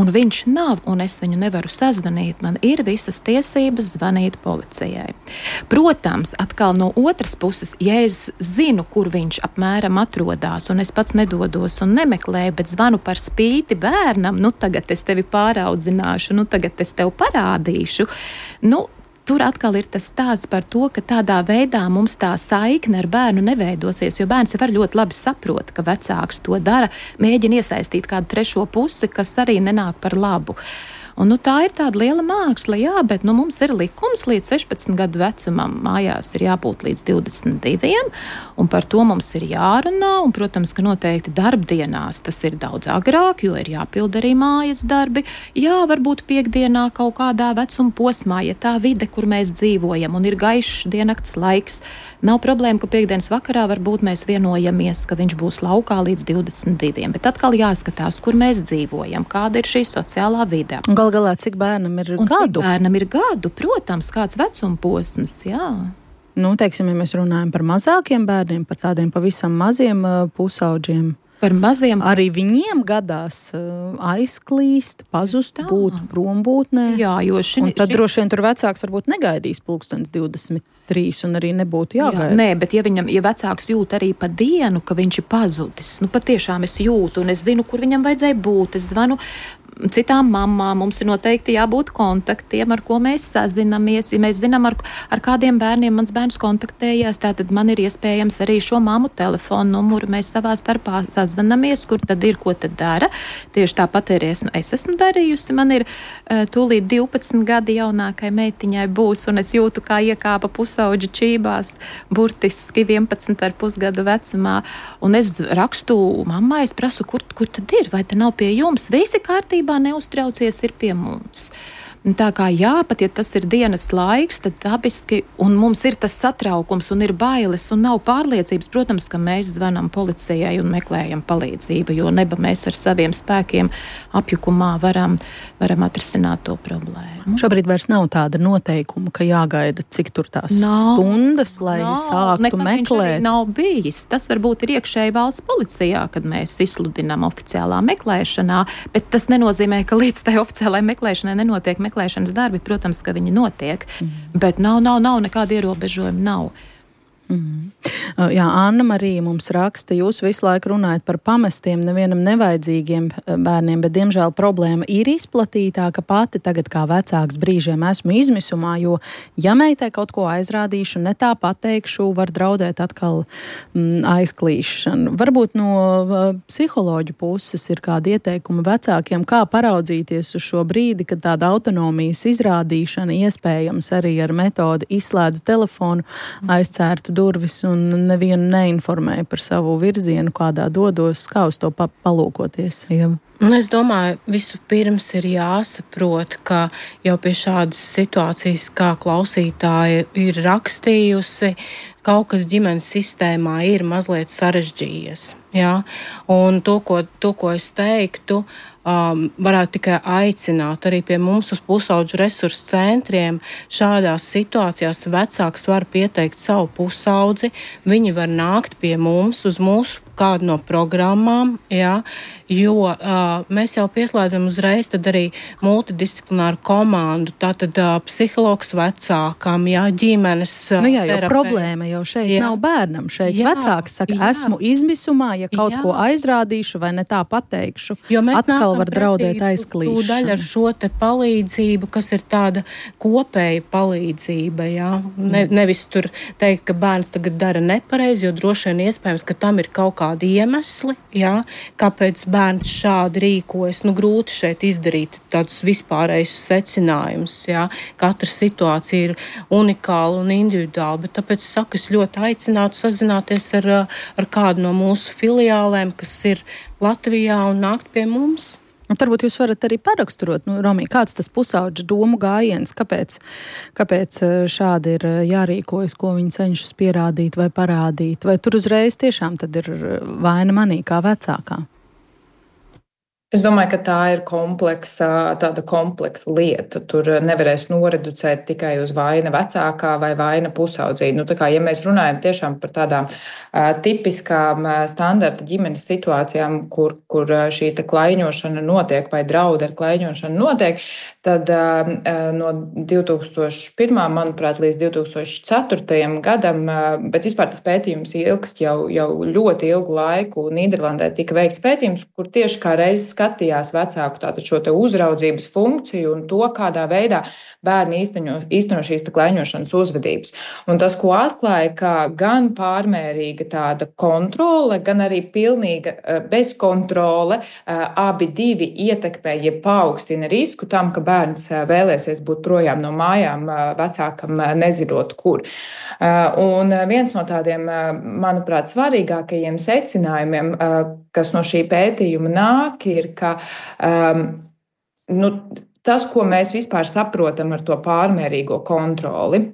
un viņš nav, un es viņu nevaru sazvanīt, man ir visas tiesības zvanīt policijai. Protams, atkal no otras puses, ja es zinu, kur viņš apmēram atrodās, un es pats nedodos un nemeklēju, bet zvanu par spīti bērnam, tagad es tevi pāraudzināšu, tagad es tev parādīšu, tur atkal ir tas stāsts par to, ka tādā veidā mums tā saikne ar bērnu neveidosies, jo bērns jau ļoti labi saprot, ka vecāks to dara, mēģina iesaistīt kādu trešo pusi, kas arī nenāk par labu. Un, tā ir tāda liela māksla, jā, bet mums ir likums līdz 16 gadu vecumam, mājās ir jābūt līdz 22, un par to mums ir jārunā, un, protams, ka noteikti darbdienās tas ir daudz agrāk, jo ir jāpild arī mājas darbi. Jā, varbūt piekdienā kaut kādā vecuma posmā, ja tā vide, kur mēs dzīvojam, un ir gaišs diennakts laiks, nav problēma, ka piekdienas vakarā varbūt mēs vienojamies, ka viņš būs laukā līdz 22, bet atkal jāskatās, kur mēs dzīvojam, kāda ir šī sociālā vide. Galu galā, cik bērnam ir gadu? Cik bērnam ir gadu, protams, kāds vecuma posms, jā. Teiksim, ja mēs runājam par mazākiem bērniem, par tādiem pavisam maziem pusauģiem. Par maziem. Arī viņiem gadās aizklīst, pazust, būt prombūtnē. Jā, jo tad droši vien tur vecāks varbūt negaidīs 23 un arī nebūtu jāgaida. Jā, nē, bet ja vecāks jūt arī pa dienu, ka viņš ir pazudis, patiešām es jūtu un es zinu, kur viņam vajadzēja būt, es zvanu citām mamām, mums ir noteikti jābūt kontaktiem, ar ko mēs sazinamies. Ja mēs zinām, ar kādiem bērniem mans bērns kontaktējās, tātad man ir iespējams arī šo mammu telefonu numuru. Mēs savā starpā sazvanamies, kur tad ir, ko tad dara. Tieši tāpat arī es esmu darījusi. Man ir tūlīt 12 gadi jaunākai meitiņai būs, un es jūtu, kā iekāpa pusauģi čībās, burtiski 11,5 gadu vecumā. Un es rakstu mammai, es prasu, kur tad ir, vai te nav pie jums? Visi kārtībā, neuztraucies, ir pie mums. Tā kā jā, pat ja tas ir dienas laiks, tad dabiski, un mums ir tas satraukums, un ir bailes, un nav pārliecības, protams, ka mēs zvanam policijai un meklējam palīdzību, jo neba mēs ar saviem spēkiem apjukumā varam atrisināt to problēmu. Šobrīd vairs nav tāda noteikuma, ka jāgaida, cik tur tās stundas, lai sāktu meklēt. Nav bijis. Tas varbūt ir iekšēji valsts policijā, kad mēs izsludinām oficiālā meklēšanā, bet tas nenozīmē, ka līdz tai oficiālai meklēšanai nenotiek meklēšanas darbi, protams, ka viņi notiek, bet nav nekāda ierobežojuma, nav. Jā, Anna Marija mums raksta, jūs visu laiku runājat par pamestiem, nevienam nevajadzīgiem bērniem, bet diemžēl problēma ir izplatītāka. Pati tagad kā vecāks brīžiem esmu izmisumā, jo ja meitai kaut ko aizrādīšu, ne tā pateikšu, var draudēt atkal aizklīšanu. Varbūt no psiholoģu puses ir kādi ieteikumi vecākiem, kā paraudzīties uz šo brīdi, kad tāda autonomijas izrādīšana iespējams arī ar metodi izslēdzu telefonu, aizcērtu durvis un nevienu neinformēju par savu virzienu, kādā dodos, kā uz to palūkoties. Jā. Es domāju, vispirms ir jāsaprot, ka jau pie šādas situācijas, kā klausītāja ir rakstījusi, kaut kas ģimenes sistēmā ir mazliet sarežģījies. Ja? Un to, ko es teiktu, varētu tikai aicināt arī pie mums uz pusauģu resursu centriem. Šādās situācijās vecāks var pieteikt savu pusaudzi, viņi var nākt pie mums uz mūsu kādu no programmām, ja, jo mēs jau pieslēdzam uzreiz tad arī multidisciplināru komandu, tātad psihologs vecākam, ja, ģimenes jo problēma jau šeit nav bērnam, šeit vecāks saka, esmu izmisumā, ja kaut ko aizrādīšu vai ne tā pateikšu, atkal var draudēt aizklīšanu. Tūdaļ ar šo te palīdzību, kas ir tāda kopēja palīdzība, ja, nevis tur teikt, ka bērns tagad dara nepareizi, jo droši vien iespējams, ka tam ir kaut kādi iemesli, jā, kāpēc bērns šādi rīkojas. Grūti šeit izdarīt tādus vispārējus secinājumus. Jā. Katra situācija ir unikāla un individuāla, bet tāpēc saku, es ļoti aicinātu sazināties ar kādu no mūsu filiālēm, kas ir Latvijā un nākt pie mums. Varbūt jūs varat arī paraksturot, Romī, kāds tas pusauģa domu gājiens, kāpēc šādi ir jārīkojas, ko viņi cenšas pierādīt vai parādīt, vai tur uzreiz tiešām tad ir vaina manī kā vecākā? Es domāju, ka tā ir tāda kompleksa lieta. Tur nevarēs noreducēt tikai uz vaina vecākā vai vaina pusaudzī. Nu, ja mēs runājam tiešām par tādām tipiskām standarta ģimenes situācijām, kur šī klaiņošana notiek vai draudi ar klaiņošanu notiek, tad no 2001. manuprāt, līdz 2004. gadam, bet vispār tas pētījums ilgst jau ļoti ilgu laiku. Nīderlandē tika veikts pētījums, kur tieši kā reizes skatījās vecāku šo te uzraudzības funkciju un to, kādā veidā bērni īsteno šīs klaiņošanas uzvedības. Un tas, ko atklāja, ka gan pārmērīga tāda kontrole, gan arī pilnīga bezkontrole, abi divi ietekmē, ja paaugstina risku tam, ka bērns vēlēsies būt projām no mājām, vecākam nezinot, kur. Un viens no tādiem, manuprāt, svarīgākajiem secinājumiem, kas no šī pētījuma nāk, ir, ka tas, ko mēs vispār saprotam ar to pārmērīgo kontroli.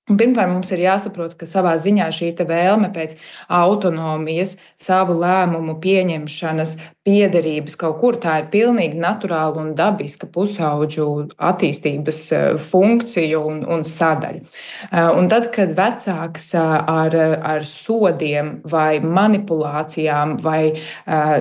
Pirmkārt, mums ir jāsaprot, ka savā ziņā šī vēlme pēc autonomijas, savu lēmumu pieņemšanas, piederības kaut kur, tā ir pilnīgi naturāla un dabiska pusaudžu attīstības funkcija un sadaļa. Un tad, kad vecāks ar sodiem vai manipulācijām vai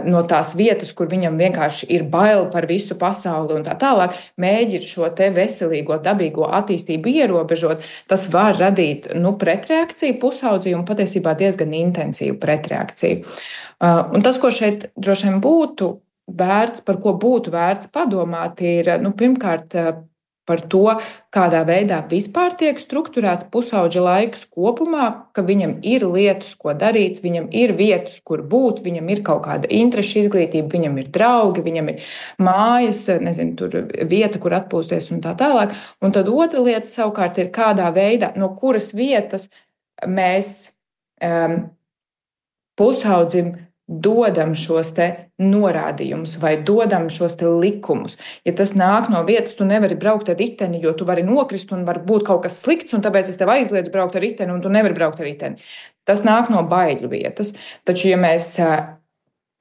no tās vietas, kur viņam vienkārši ir bail par visu pasauli un tā tālāk, mēģina šo te veselīgo, dabīgo attīstību ierobežot, tas var radīt pretreakciju pusaudzī un patiesībā diezgan intensīvu pretreakciju. Un tas, ko šeit droši vien būtu vērts, par ko būtu vērts padomāt, ir pirmkārt par to, kādā veidā vispār tiek strukturēts pusauģa laiks kopumā, ka viņam ir lietas, ko darīt, viņam ir vietas, kur būt, viņam ir kaut kāda interešu izglītība, viņam ir draugi, viņam ir mājas, tur vieta, kur atpūsties un tā tālāk. Un tad otra lieta savukārt ir, kādā veidā, no kuras vietas mēs pusaudzim dodam šos te norādījumus vai dodam šos te likumus. Ja tas nāk no vietas, tu nevari braukt ar riteni, jo tu vari nokrist un var būt kaut kas slikts, un tāpēc es tev aizliedzu braukt ar riteni, un tu nevari braukt ar riteni. Tas nāk no baiļu vietas. Taču, ja mēs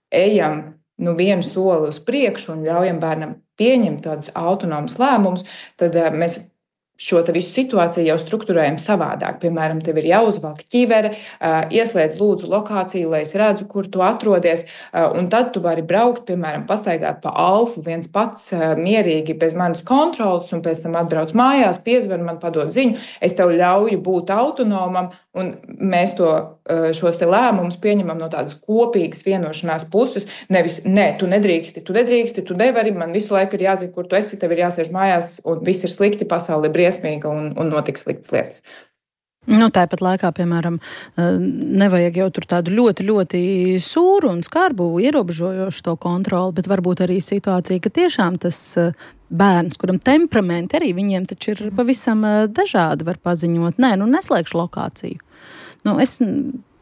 ejam vienu soli uz priekšu un ļaujam bērnam pieņemt tādus autonomus lēmumus, tad mēs šo visu situāciju jau strukturējam savādāk. Piemēram, tev ir jāuzvelk ķivere, ieslēdz lūdzu lokāciju, lai es redzu, kur tu atrodies, un tad tu vari braukt, piemēram, pastaigāt pa Alfu viens pats mierīgi bez manas kontrolas, un pēc tam atbrauc mājās, piezvan man, padod ziņu, es tev ļauju būt autonomam, un mēs šos te lēmumus pieņemam no tādas kopīgas vienošanās puses, nevis, tu nedrīksti, tu nevari, man visu laiku ir jāzina, kur tu esi, tev ir jāsēž mājās, un viss ir slikti, pasaule ir briesmīga un notiks sliktas lietas. Tāpat laikā, piemēram, nevajag jau tur tādu ļoti, ļoti sūru un skarbu ierobežojošu to kontroli, bet varbūt arī situācija, ka tiešām tas bērns, kuram temperamenti arī viņiem taču ir pavisam dažādi, var paziņot, neslēgšu lokāciju. Es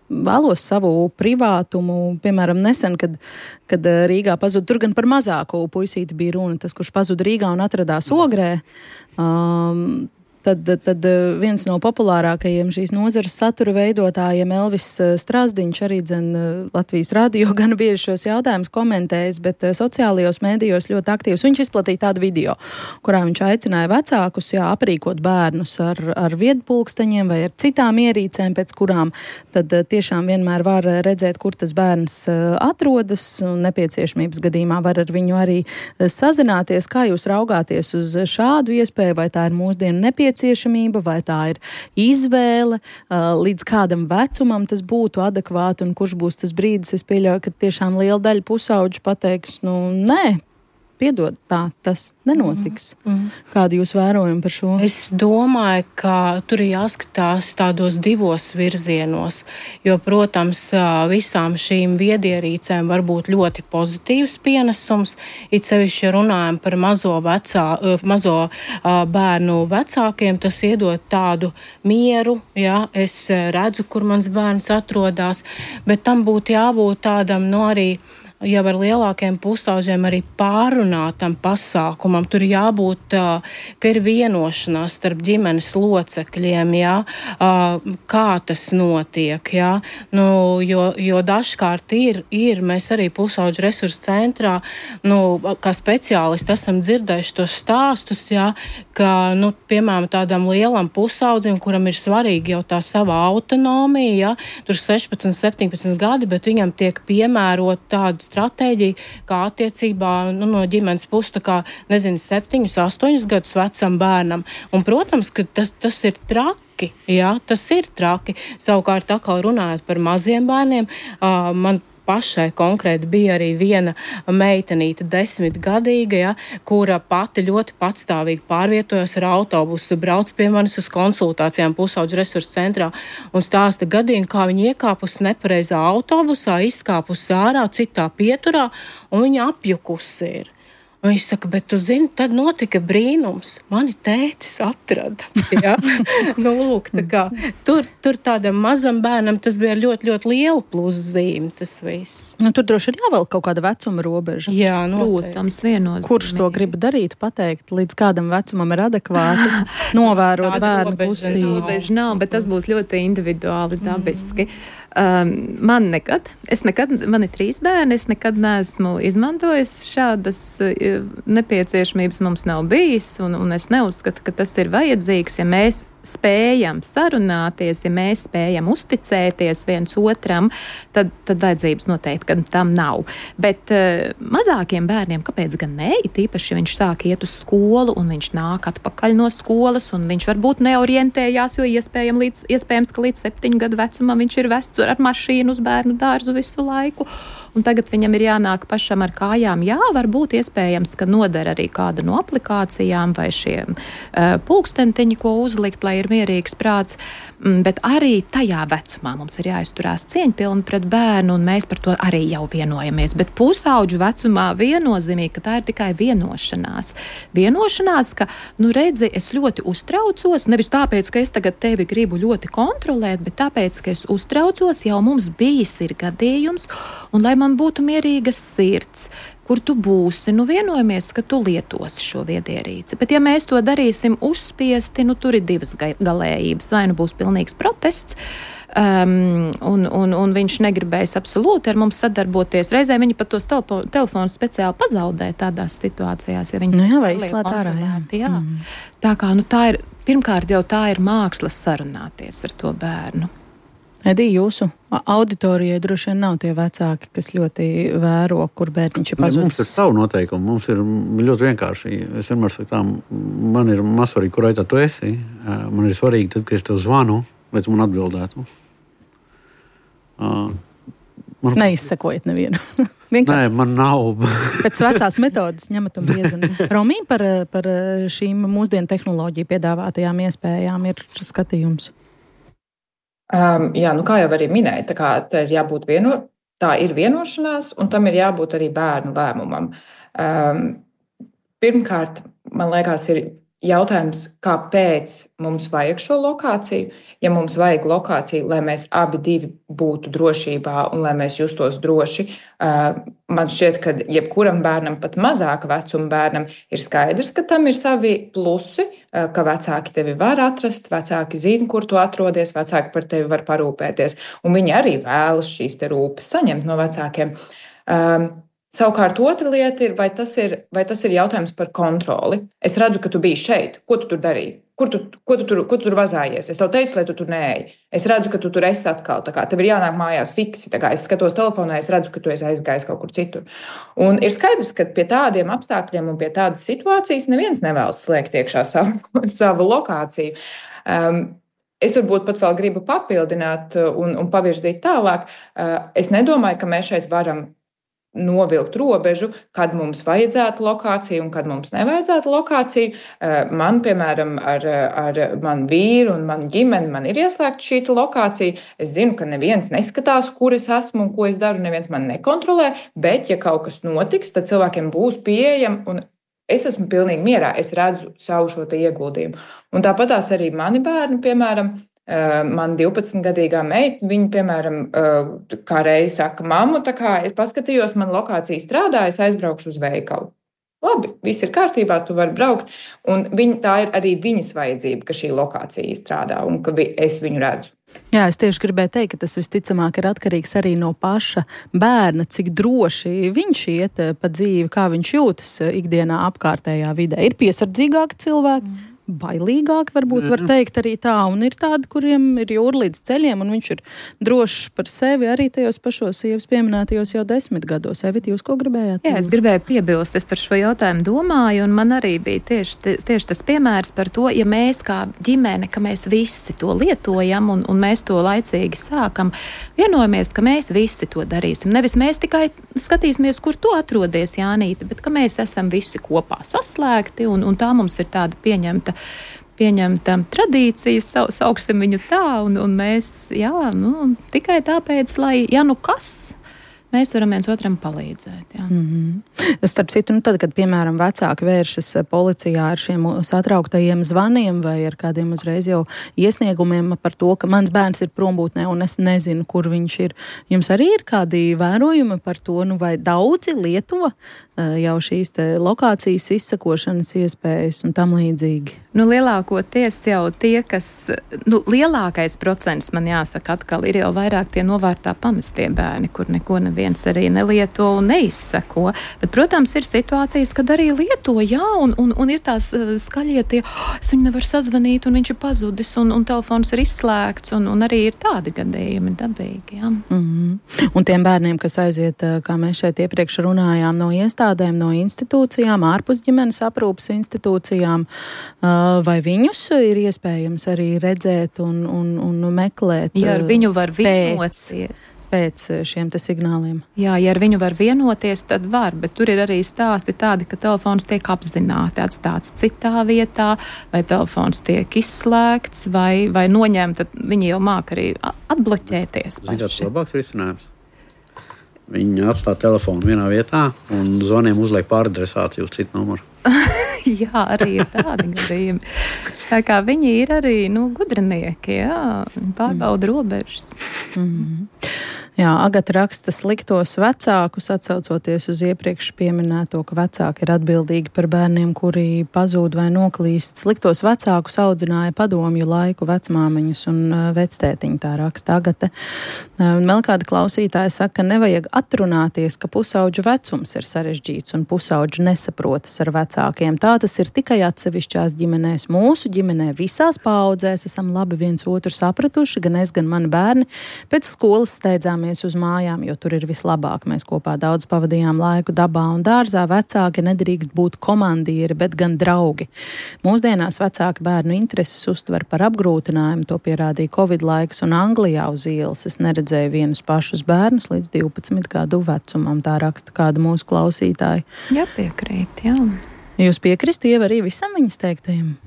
vēlos savu privātumu, piemēram, nesen, kad Rīgā pazuda, tur gan par mazāku puisīti bija runa, tas, kurš pazuda Rīgā un atradās Ogrē, Tad viens no populārākajiem šīs nozares satura veidotājiem Elvis Strasdiņš arī Latvijas radio gan bieži šos jautājumus komentējis, bet sociālajos mēdījos ļoti aktīvs. Viņš izplatīja tādu video, kurā viņš aicināja vecākus aprīkot bērnus ar viedpulksteņiem vai ar citām ierīcēm, pēc kurām tad tiešām vienmēr var redzēt, kur tas bērns atrodas, un nepieciešamības gadījumā var ar viņu arī sazināties. Kā jūs raugāties uz šādu iespēju, vai tā ir mūsdienu nepieciešamība, vai tā ir izvēle, līdz kādam vecumam tas būtu adekvāti un kurš būs tas brīdis? Es pieļauju, ka tiešām liela daļa pusauģu pateiks, nē, piedod, tas nenotiks. Kādi jūs vērojumi par šo? Es domāju, ka tur ir jāskatās tādos divos virzienos, jo, protams, visām šīm viedierīcēm var būt ļoti pozitīvs pienesums, it sevišķi, ja runājam par mazo bērnu vecākiem, tas iedod tādu mieru, es redzu, kur mans bērns atrodās, bet tam būtu jābūt tādam, arī jau ar lielākiem pusauģiem arī pārunātam pasākumam. Tur jābūt, ka ir vienošanās starp ģimenes locekļiem, jā, kā tas notiek, jā. Nu, jo dažkārt ir, mēs arī pusauģu resursu centrā, kā speciālisti esam dzirdējuši tos stāstus, jā, ka, piemēram, tādam lielam pusaudzim, kuram ir svarīgi jau tā sava autonomija, jā, tur 16, 17 gadi, bet viņam tiek piemērot tādu stratēģiju, kā attiecībā no ģimenes puses, 7, 8 gadus vecam bērnam. Un, protams, ka tas ir traki. Jā, tas ir traki. Savukārt, atkal runājot par maziem bērniem, man pašai konkrēti bija arī viena meitenīte 10-gadīga, ja, kura pati ļoti patstāvīgi pārvietojas ar autobusu, brauc pie manis uz konsultācijām pusauģu resursu centrā un stāsta gadījumu, kā viņa iekāpusi nepareizā autobusā, izkāpusi ārā citā pieturā un viņa apjukusi ir. Un viņš saka, bet tu zini, tad notika brīnums. Mani tētis atrada. Ja? Lūk, tā kā, tur tādam mazam bērnam tas bija ļoti, ļoti liela pluszīme, tas viss. Tur droši ir jāvēl kaut kāda vecuma robeža. Jā, protams, viennozīmīgi. Kurš to grib darīt, pateikt, līdz kādam vecumam ir adekvāti, novērot bērnu kustību? Robeža nav, bet tas būs ļoti individuāli, dabiski. Man ir 3 bērni, es nekad neesmu izmantojis šādas nepieciešamības, mums nav bijis, un es neuzskatu, ka tas ir vajadzīgs, ja mēs spējam sarunāties, ja mēs spējam uzticēties viens otram, tad vajadzības noteikti, ka tam nav. Bet mazākiem bērniem, kāpēc gan ne? Tīpaši, ja viņš sāk iet uz skolu un viņš nāk atpakaļ no skolas un viņš varbūt neorientējās, jo iespējams, ka līdz 7 gadu vecumam viņš ir vests ar mašīnu uz bērnu dārzu visu laiku. Un tagad viņam ir jānāk pašam ar kājām. Jā, varbūt iespējams, ka noder arī kāda no aplikācijām vai šie pulkstentiņi, ko uzlikt, lai ir mierīgs prāts. Bet arī tajā vecumā mums ir jāizturās cieņpilni pret bērnu, un mēs par to arī jau vienojamies. Bet pusauģu vecumā viennozīmīgi, ka tā ir tikai vienošanās. Vienošanās, ka, redzi, es ļoti uztraucos, nevis tāpēc, ka es tagad tevi gribu ļoti kontrolēt, bet tāpēc, ka es uztraucos, jau mums bijis ir gadījums, un lai man būtu mierīgas sirds, kur tu būsi, vienojamies, ka tu lietosi šo viedierīci. Bet ja mēs to darīsim uzspiesti, tur ir 2 galējības. Vai būs pilnīgs protests, un viņš negribēs absolūti ar mums sadarboties. Reizē viņi pat tos telefonus speciāli pazaudē tādās situācijās, ja viņi vai izslēt ārā. Jā. Tā kā, tā ir, pirmkārt jau tā ir mākslas sarunāties ar to bērnu. Edī, jūsu auditorijai droši vien nav tie vecāki, kas ļoti vēro, kur bērniņš ir pazudis. Mums ir savu noteikumu, mums ir ļoti vienkārši. Es vienmēr saku tā, man ir mazsvarīgi, kur aitā tu esi. Man ir svarīgi, tad, kad es tev zvanu, lai tu man atbildētu. Neizsekojat nevienu. Nē, man nav. Pēc vecās metodas ņemat un piezvanāt. Romī, par šīm mūsdienu tehnoloģiju piedāvātajām iespējām ir skatījums. Jā, kā jau arī minēja, tā ir jābūt tā ir vienošanās, un tam ir jābūt arī bērnu lēmumam. Pirmkārt, man liekas, ir jautājums, kāpēc mums vajag šo lokāciju. Ja mums vajag lokāciju, lai mēs abi būtu drošībā un lai mēs justos droši, man šķiet, ka jebkuram bērnam, pat mazāka vecuma bērnam, ir skaidrs, ka tam ir savi plusi, ka vecāki tevi var atrast, vecāki zina, kur tu atrodies, vecāki par tevi var parūpēties, un viņi arī vēlas šīs te rūpes saņemt no vecākiem. Savukārt otra lieta ir, vai tas ir jautājums par kontroli. Es redzu, ka tu biji šeit. Ko tu tur darīji? Ko tu tur vazājies? Es tev teicu, lai tu tur neej. Es redzu, ka tu tur esi atkal. Tev ir jānāk mājās fiksi. Es skatos telefonā, es redzu, ka tu esi aizgājis kaut kur citur. Un ir skaidrs, ka pie tādiem apstākļiem un pie tādas situācijas neviens nevēlas slēgt iekšā savu lokāciju. Es varbūt pat vēl gribu papildināt un pavirzīt tālāk. Es nedomāju, ka mēs šeit varam novilkt robežu, kad mums vajadzētu lokāciju un kad mums nevajadzētu lokāciju. Man, piemēram, ar manu vīru un manu ģimeni, man ir ieslēgta šī lokācija. Es zinu, ka neviens neskatās, kur es esmu un ko es daru, neviens man nekontrolē, bet, ja kaut kas notiks, tad cilvēkiem būs pieejama un es esmu pilnīgi mierā, es redzu savu šo te ieguldījumu. Un tāpatās arī mani bērni, piemēram, Man 12-gadīgā meita, viņa, piemēram, kā reiz saka, mammu, tā kā es paskatījos, man lokācija strādā, es aizbraukšu uz veikalu. Labi, viss ir kārtībā, tu vari braukt. Un tā ir arī viņas vajadzība, ka šī lokācija strādā un ka es viņu redzu. Jā, es tieši gribēju teikt, ka tas visticamāk ir atkarīgs arī no paša bērna, cik droši viņš iet pa dzīvi, kā viņš jūtas ikdienā apkārtējā vidē. Ir piesardzīgāki cilvēki. Bailīgāk, varbūt var teikt arī tā, un ir tādi, kuriem ir jūra līdz ceļiem, un viņš ir drošs par sevi arī tajos pašos sievas pieminētajos jau 10 gados. Evita, jūs ko gribējāt? Jā, es gribēju piebilst, es par šo jautājumu domāju, un man arī bija tieši tas piemērs par to, ja mēs kā ģimene, ka mēs visi to lietojam, un mēs to laicīgi sākam, vienojamies, ka mēs visi to darīsim. Nevis mēs tikai skatīsimies, kur tu atrodies, Jānīte, bet ka mēs esam visi kopā saslēgti, un tā mums ir tāda pieņemta tradīcija, sauksim viņu tā, un mēs, tikai tāpēc, lai, mēs varam viens otram palīdzēt. Jā. Starp citu, tad, kad, piemēram, vecāki vēršas policijā ar šiem satrauktajiem zvaniem vai ar kādiem uzreiz jau iesniegumiem par to, ka mans bērns ir prombūtnē un es nezinu, kur viņš ir, jums arī ir kādi vērojumi par to, vai daudzi lieto jau šīs te lokācijas izsakošanas iespējas un tam līdzīgi? Lielākoties jau tie, kas, lielākais procents, man jāsaka atkal, ir jau vairāk tie novārtā pamestie bērni, kur neko neviens arī nelieto un neizsako. Bet, protams, ir situācijas, kad arī lieto, un ir tās skaļie tie, es viņu nevaru sazvanīt, un viņš ir pazudis, un telefons ir izslēgts, un arī ir tādi gadījumi dabīgi, jā. Un tiem bērniem, kas aiziet, kā mēs šeit iepriekš runājām, no iestādēm, no institūcijām, ārpus ģimenes aprūpas institūcijām, vai viņus ir iespējams arī redzēt un meklēt? Ja ar viņu var vienoties. Pēc šiem te signāliem. Jā, ja ar viņu var vienoties, tad var, bet tur ir arī stāsti tādi, ka telefons tiek apzināti atstāts citā vietā, vai telefons tiek izslēgts, vai noņemt, tad viņi jau māk arī atbloķēties. Zināt, labāks risinājums. Viņi atstāja telefonu vienā vietā un zvaniem uzliek pāradresāciju uz citu numuru. Jā, arī ir tādi gadījumi. Tā kā viņi ir arī, gudrinieki, pārbauda robežas. Jā, Agata raksta sliktos vecākus, atsaucoties uz iepriekš pieminēto, ka vecāki ir atbildīgi par bērniem, kuri pazūd vai noklīst. Sliktos vecākus audzināja padomju laiku vecmāmiņus un vectētiņu, tā raksta Agata. Vēl kāda klausītāja saka, ka nevajag atrunāties, ka pusauģu vecums ir sarežģīts un pusauģi nesaprotas ar vecākiem. Tā tas ir tikai atsevišķās ģimenēs. Mūsu ģimenē visās paaudzēs esam labi viens otru sapratuši, gan es, gan mani bērni. Pēc skolas steidzām uz mājām, jo tur ir vislabāk. Mēs kopā daudz pavadījām laiku dabā un dārzā. Vecāki nedrīkst būt komandieri, bet gan draugi. Mūsdienās vecāki bērnu intereses uztver par apgrūtinājumu. To pierādīja Covid laiks un Anglijā uz ielas. Es neredzēju vienus pašus bērnus līdz 12 gadu vecumam. Tā raksta kāda mūsu klausītāja. Jā, piekrīt, jā. Jūs piekristu, Ieva, arī visam viņas teiktajiem?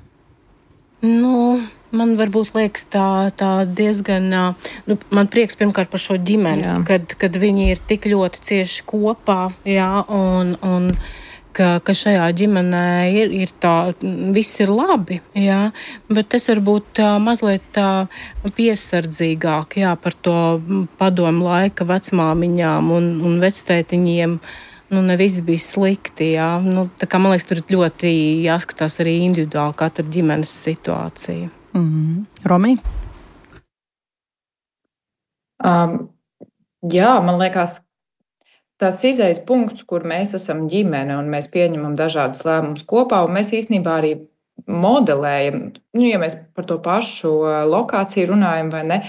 Man varbūt liekas tā diezgan, man prieks pirmkārt par šo ģimeni, kad viņi ir tik ļoti cieši kopā, un ka šajā ģimenē ir tā, viss ir labi, bet es varbūt mazliet tā piesardzīgāk, par to padomu laika vecmāmiņām un vectētiņiem. Ne viss bija slikti, tā kā man liekas, tur ļoti jāskatās arī individuāli katra ģimenes situācija. Romī? Man liekas, tas izējas punkts, kur mēs esam ģimene un mēs pieņemam dažādus lēmumus kopā, un mēs īstenībā arī modelējam, ja mēs par to pašu lokāciju runājam vai ne,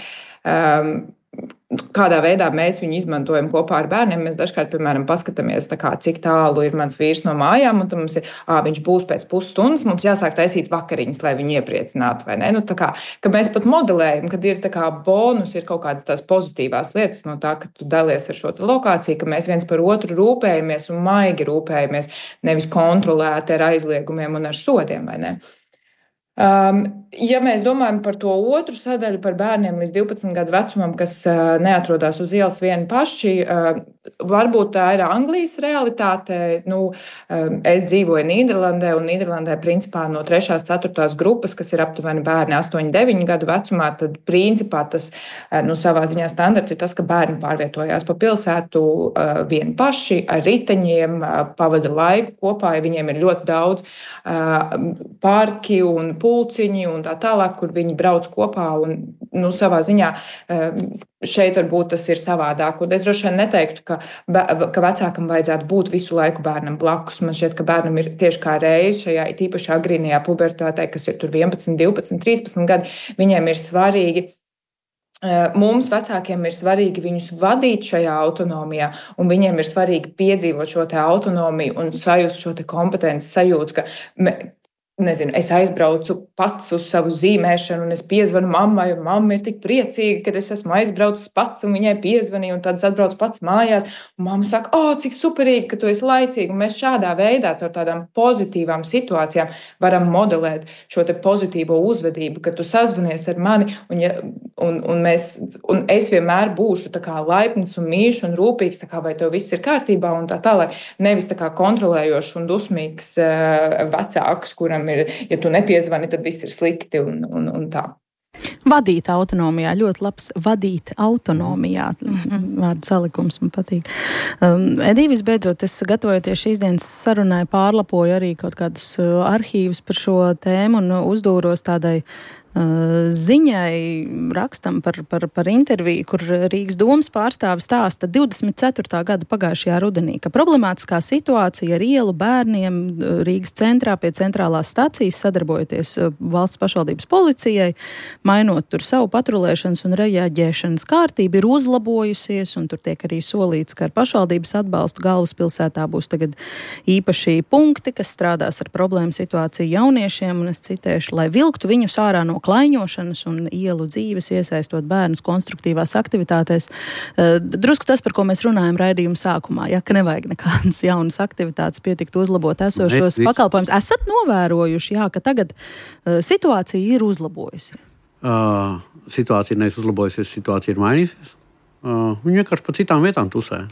kādā veidā mēs viņu izmantojam kopā ar bērniem. Mēs dažkārt, piemēram, paskatāmies, cik tālu ir mans vīrs no mājām, un tad mums ir, viņš būs pēc pusstundas, mums jāsāk taisīt vakariņas, lai viņu iepriecinātu, vai ne? Ka mēs pat modelējam, kad ir bonus, ir kaut kādas tās pozitīvās lietas no tā, ka tu dalies ar šo lokāciju, ka mēs viens par otru rūpējamies un maigi rūpējamies, nevis kontrolēti ar aizliegumiem un ar sodiem, vai ne? Ja mēs domājam par to otru sadaļu, par bērniem līdz 12 gadu vecumam, kas neatrodas uz ielas vieni paši, varbūt tā ir Anglijas realitāte. Es dzīvoju Nīderlandē, un Nīderlandē principā no 3. 4. grupas, kas ir aptuveni bērni 8, 9 gadu vecumā, tad principā tas savā ziņā standarts ir tas, ka bērni pārvietojās pa pilsētu vieni paši ar riteņiem, pavada laiku kopā, ja viņiem ir ļoti daudz parki un pulciņi un tā tālāk, kur viņi brauc kopā un savā ziņā šeit varbūt tas ir savādāk. Un es droši vien neteiktu, ka vecākam vajadzētu būt visu laiku bērnam blakus. Man šķiet, ka bērnam ir tieši kā reiz šajā tīpaši agrīnajā pubertātē, kas ir tur 11, 12, 13 gadi, viņiem ir svarīgi. Mums, vecākiem, ir svarīgi viņus vadīt šajā autonomijā, un viņiem ir svarīgi piedzīvot šo te autonomiju un sajust šo te kompetenci sajūtu, ka es aizbraucu pats uz savu zīmēšanu, un es piezvanu mammai, un mamma ir tik priecīga, ka es esmu aizbraucis pats, un viņai piezvanīju, un tad es atbraucu pats mājās, un mamma saka, cik superīgi, ka tu esi laicīgi, un mēs šādā veidā, caur tādām pozitīvām situācijām varam modelēt šo te pozitīvo uzvedību, ka tu sazvanies ar mani, un es vienmēr būšu tā kā laipns un mīļš un rūpīgs, tā kā vai tev viss ir kārtībā, un tā tālāk, nevis tā kā kontrolējošs un dusmīgs vecāks, kuram ja tu nepiezvani, tad viss ir slikti un tā. Vadīt autonomijā, ļoti labs vadīt autonomijā. Vārdu salikums man patīk. Edija, visbeidzot, es gatavojoties šīs dienas sarunai pārlapoju arī kaut kādus arhīvus par šo tēmu un uzdūros tādai ziņai, rakstam par interviju, kur Rīgas domas pārstāvis stāsta 24. gada pagājušajā rudenī, ka problemātiskā situācija ar ielu bērniem Rīgas centrā pie centrālās stacijas, sadarbojoties valsts pašvaldības policijai, mainot tur savu patrulēšanas un reaģēšanas kārtību, ir uzlabojusies, un tur tiek arī solīts, ka ar pašvaldības atbalstu galvaspilsētā būs tagad īpaši punkti, kas strādās ar problēmu situāciju jauniešiem, un es citēšu, lai vilktu viņus ārā no klaiņošanas un ielu dzīves, iesaistot bērnus konstruktīvās aktivitātēs. Drusku tas, par ko mēs runājam raidījuma sākumā, ka nevajag nekādas jaunas aktivitātes, pietikt uzlabot esošos pakalpojumus. Esat novērojuši, ka tagad situācija ir uzlabojusies? Situācija nevis uzlabojusies, situācija ir mainīsies. Viņi vienkārši pa citām vietām tusē.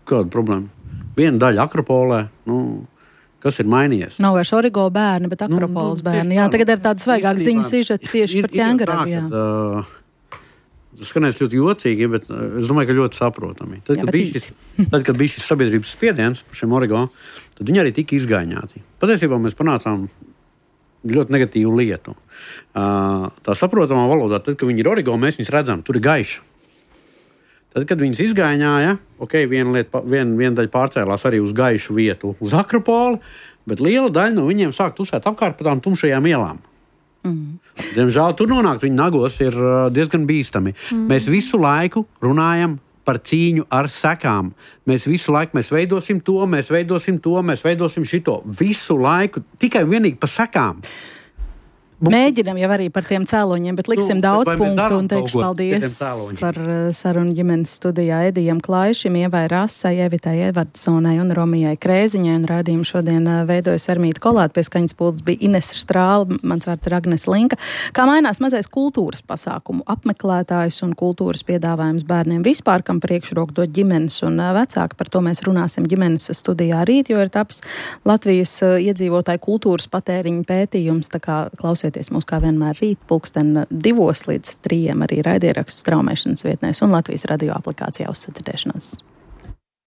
Kāda problēma? Viena daļa Akropolē, kas ir mainījies? Nav vairs Origo bērni, bet Akropoles bērni. Jā, tagad ir tāda svaigāka ziņu sižeta tieši par ķēngaradu. Tas skanēs ļoti jocīgi, bet es domāju, ka ļoti saprotami. Tad, kad bija šis sabiedrības spiediens par šiem Origo, tad viņi arī tika izgaiņāti. Patiesībā mēs panācām ļoti negatīvu lietu. Tā saprotamā valodā, tad, kad viņi ir Origo, mēs viņus redzam, tur ir gaiša. Tad, kad viņas izgaiņāja, viena daļa pārcēlās arī uz gaišu vietu, uz Akropoli, bet liela daļa no viņiem sāk tusēt apkārt pa tām tumšajām ielām. Diemžēl tur nonākt viņu nagos ir diezgan bīstami. Mēs visu laiku runājam par cīņu ar sekām. Mēs visu laiku veidosim to, mēs veidosim šito. Visu laiku tikai vienīgi par sekām. Mēģinam jau arī par tiem cēloņiem, bet liksim daudz punktu un teikšu paldies par sarunu ģimenes studijā Edijam Klaišim, Ievai Rasai, Evitai Edvardsonai un Romijai Krēziņai. Un raidījumu šodien veidojas Armīta Kolāte, pie skaņas pults bija Inese Strāle, mans vārds ir Agnes Linka. Kā mainās mazais kultūras pasākumu apmeklētājs un kultūras piedāvājums bērniem vispār, kam priekšroku dod ģimenes un vecāki, par to mēs runāsim ģimenes studijā rīt, jo ir tapis Latvijas iedzīvotāju kultūras patēriņa pētījums, tā kā klausieties mūs kā vienmēr rīt 2 līdz 3 arī raidierakstu straumēšanas vietnēs un Latvijas radio aplikācijā uz sadzirdēšanos.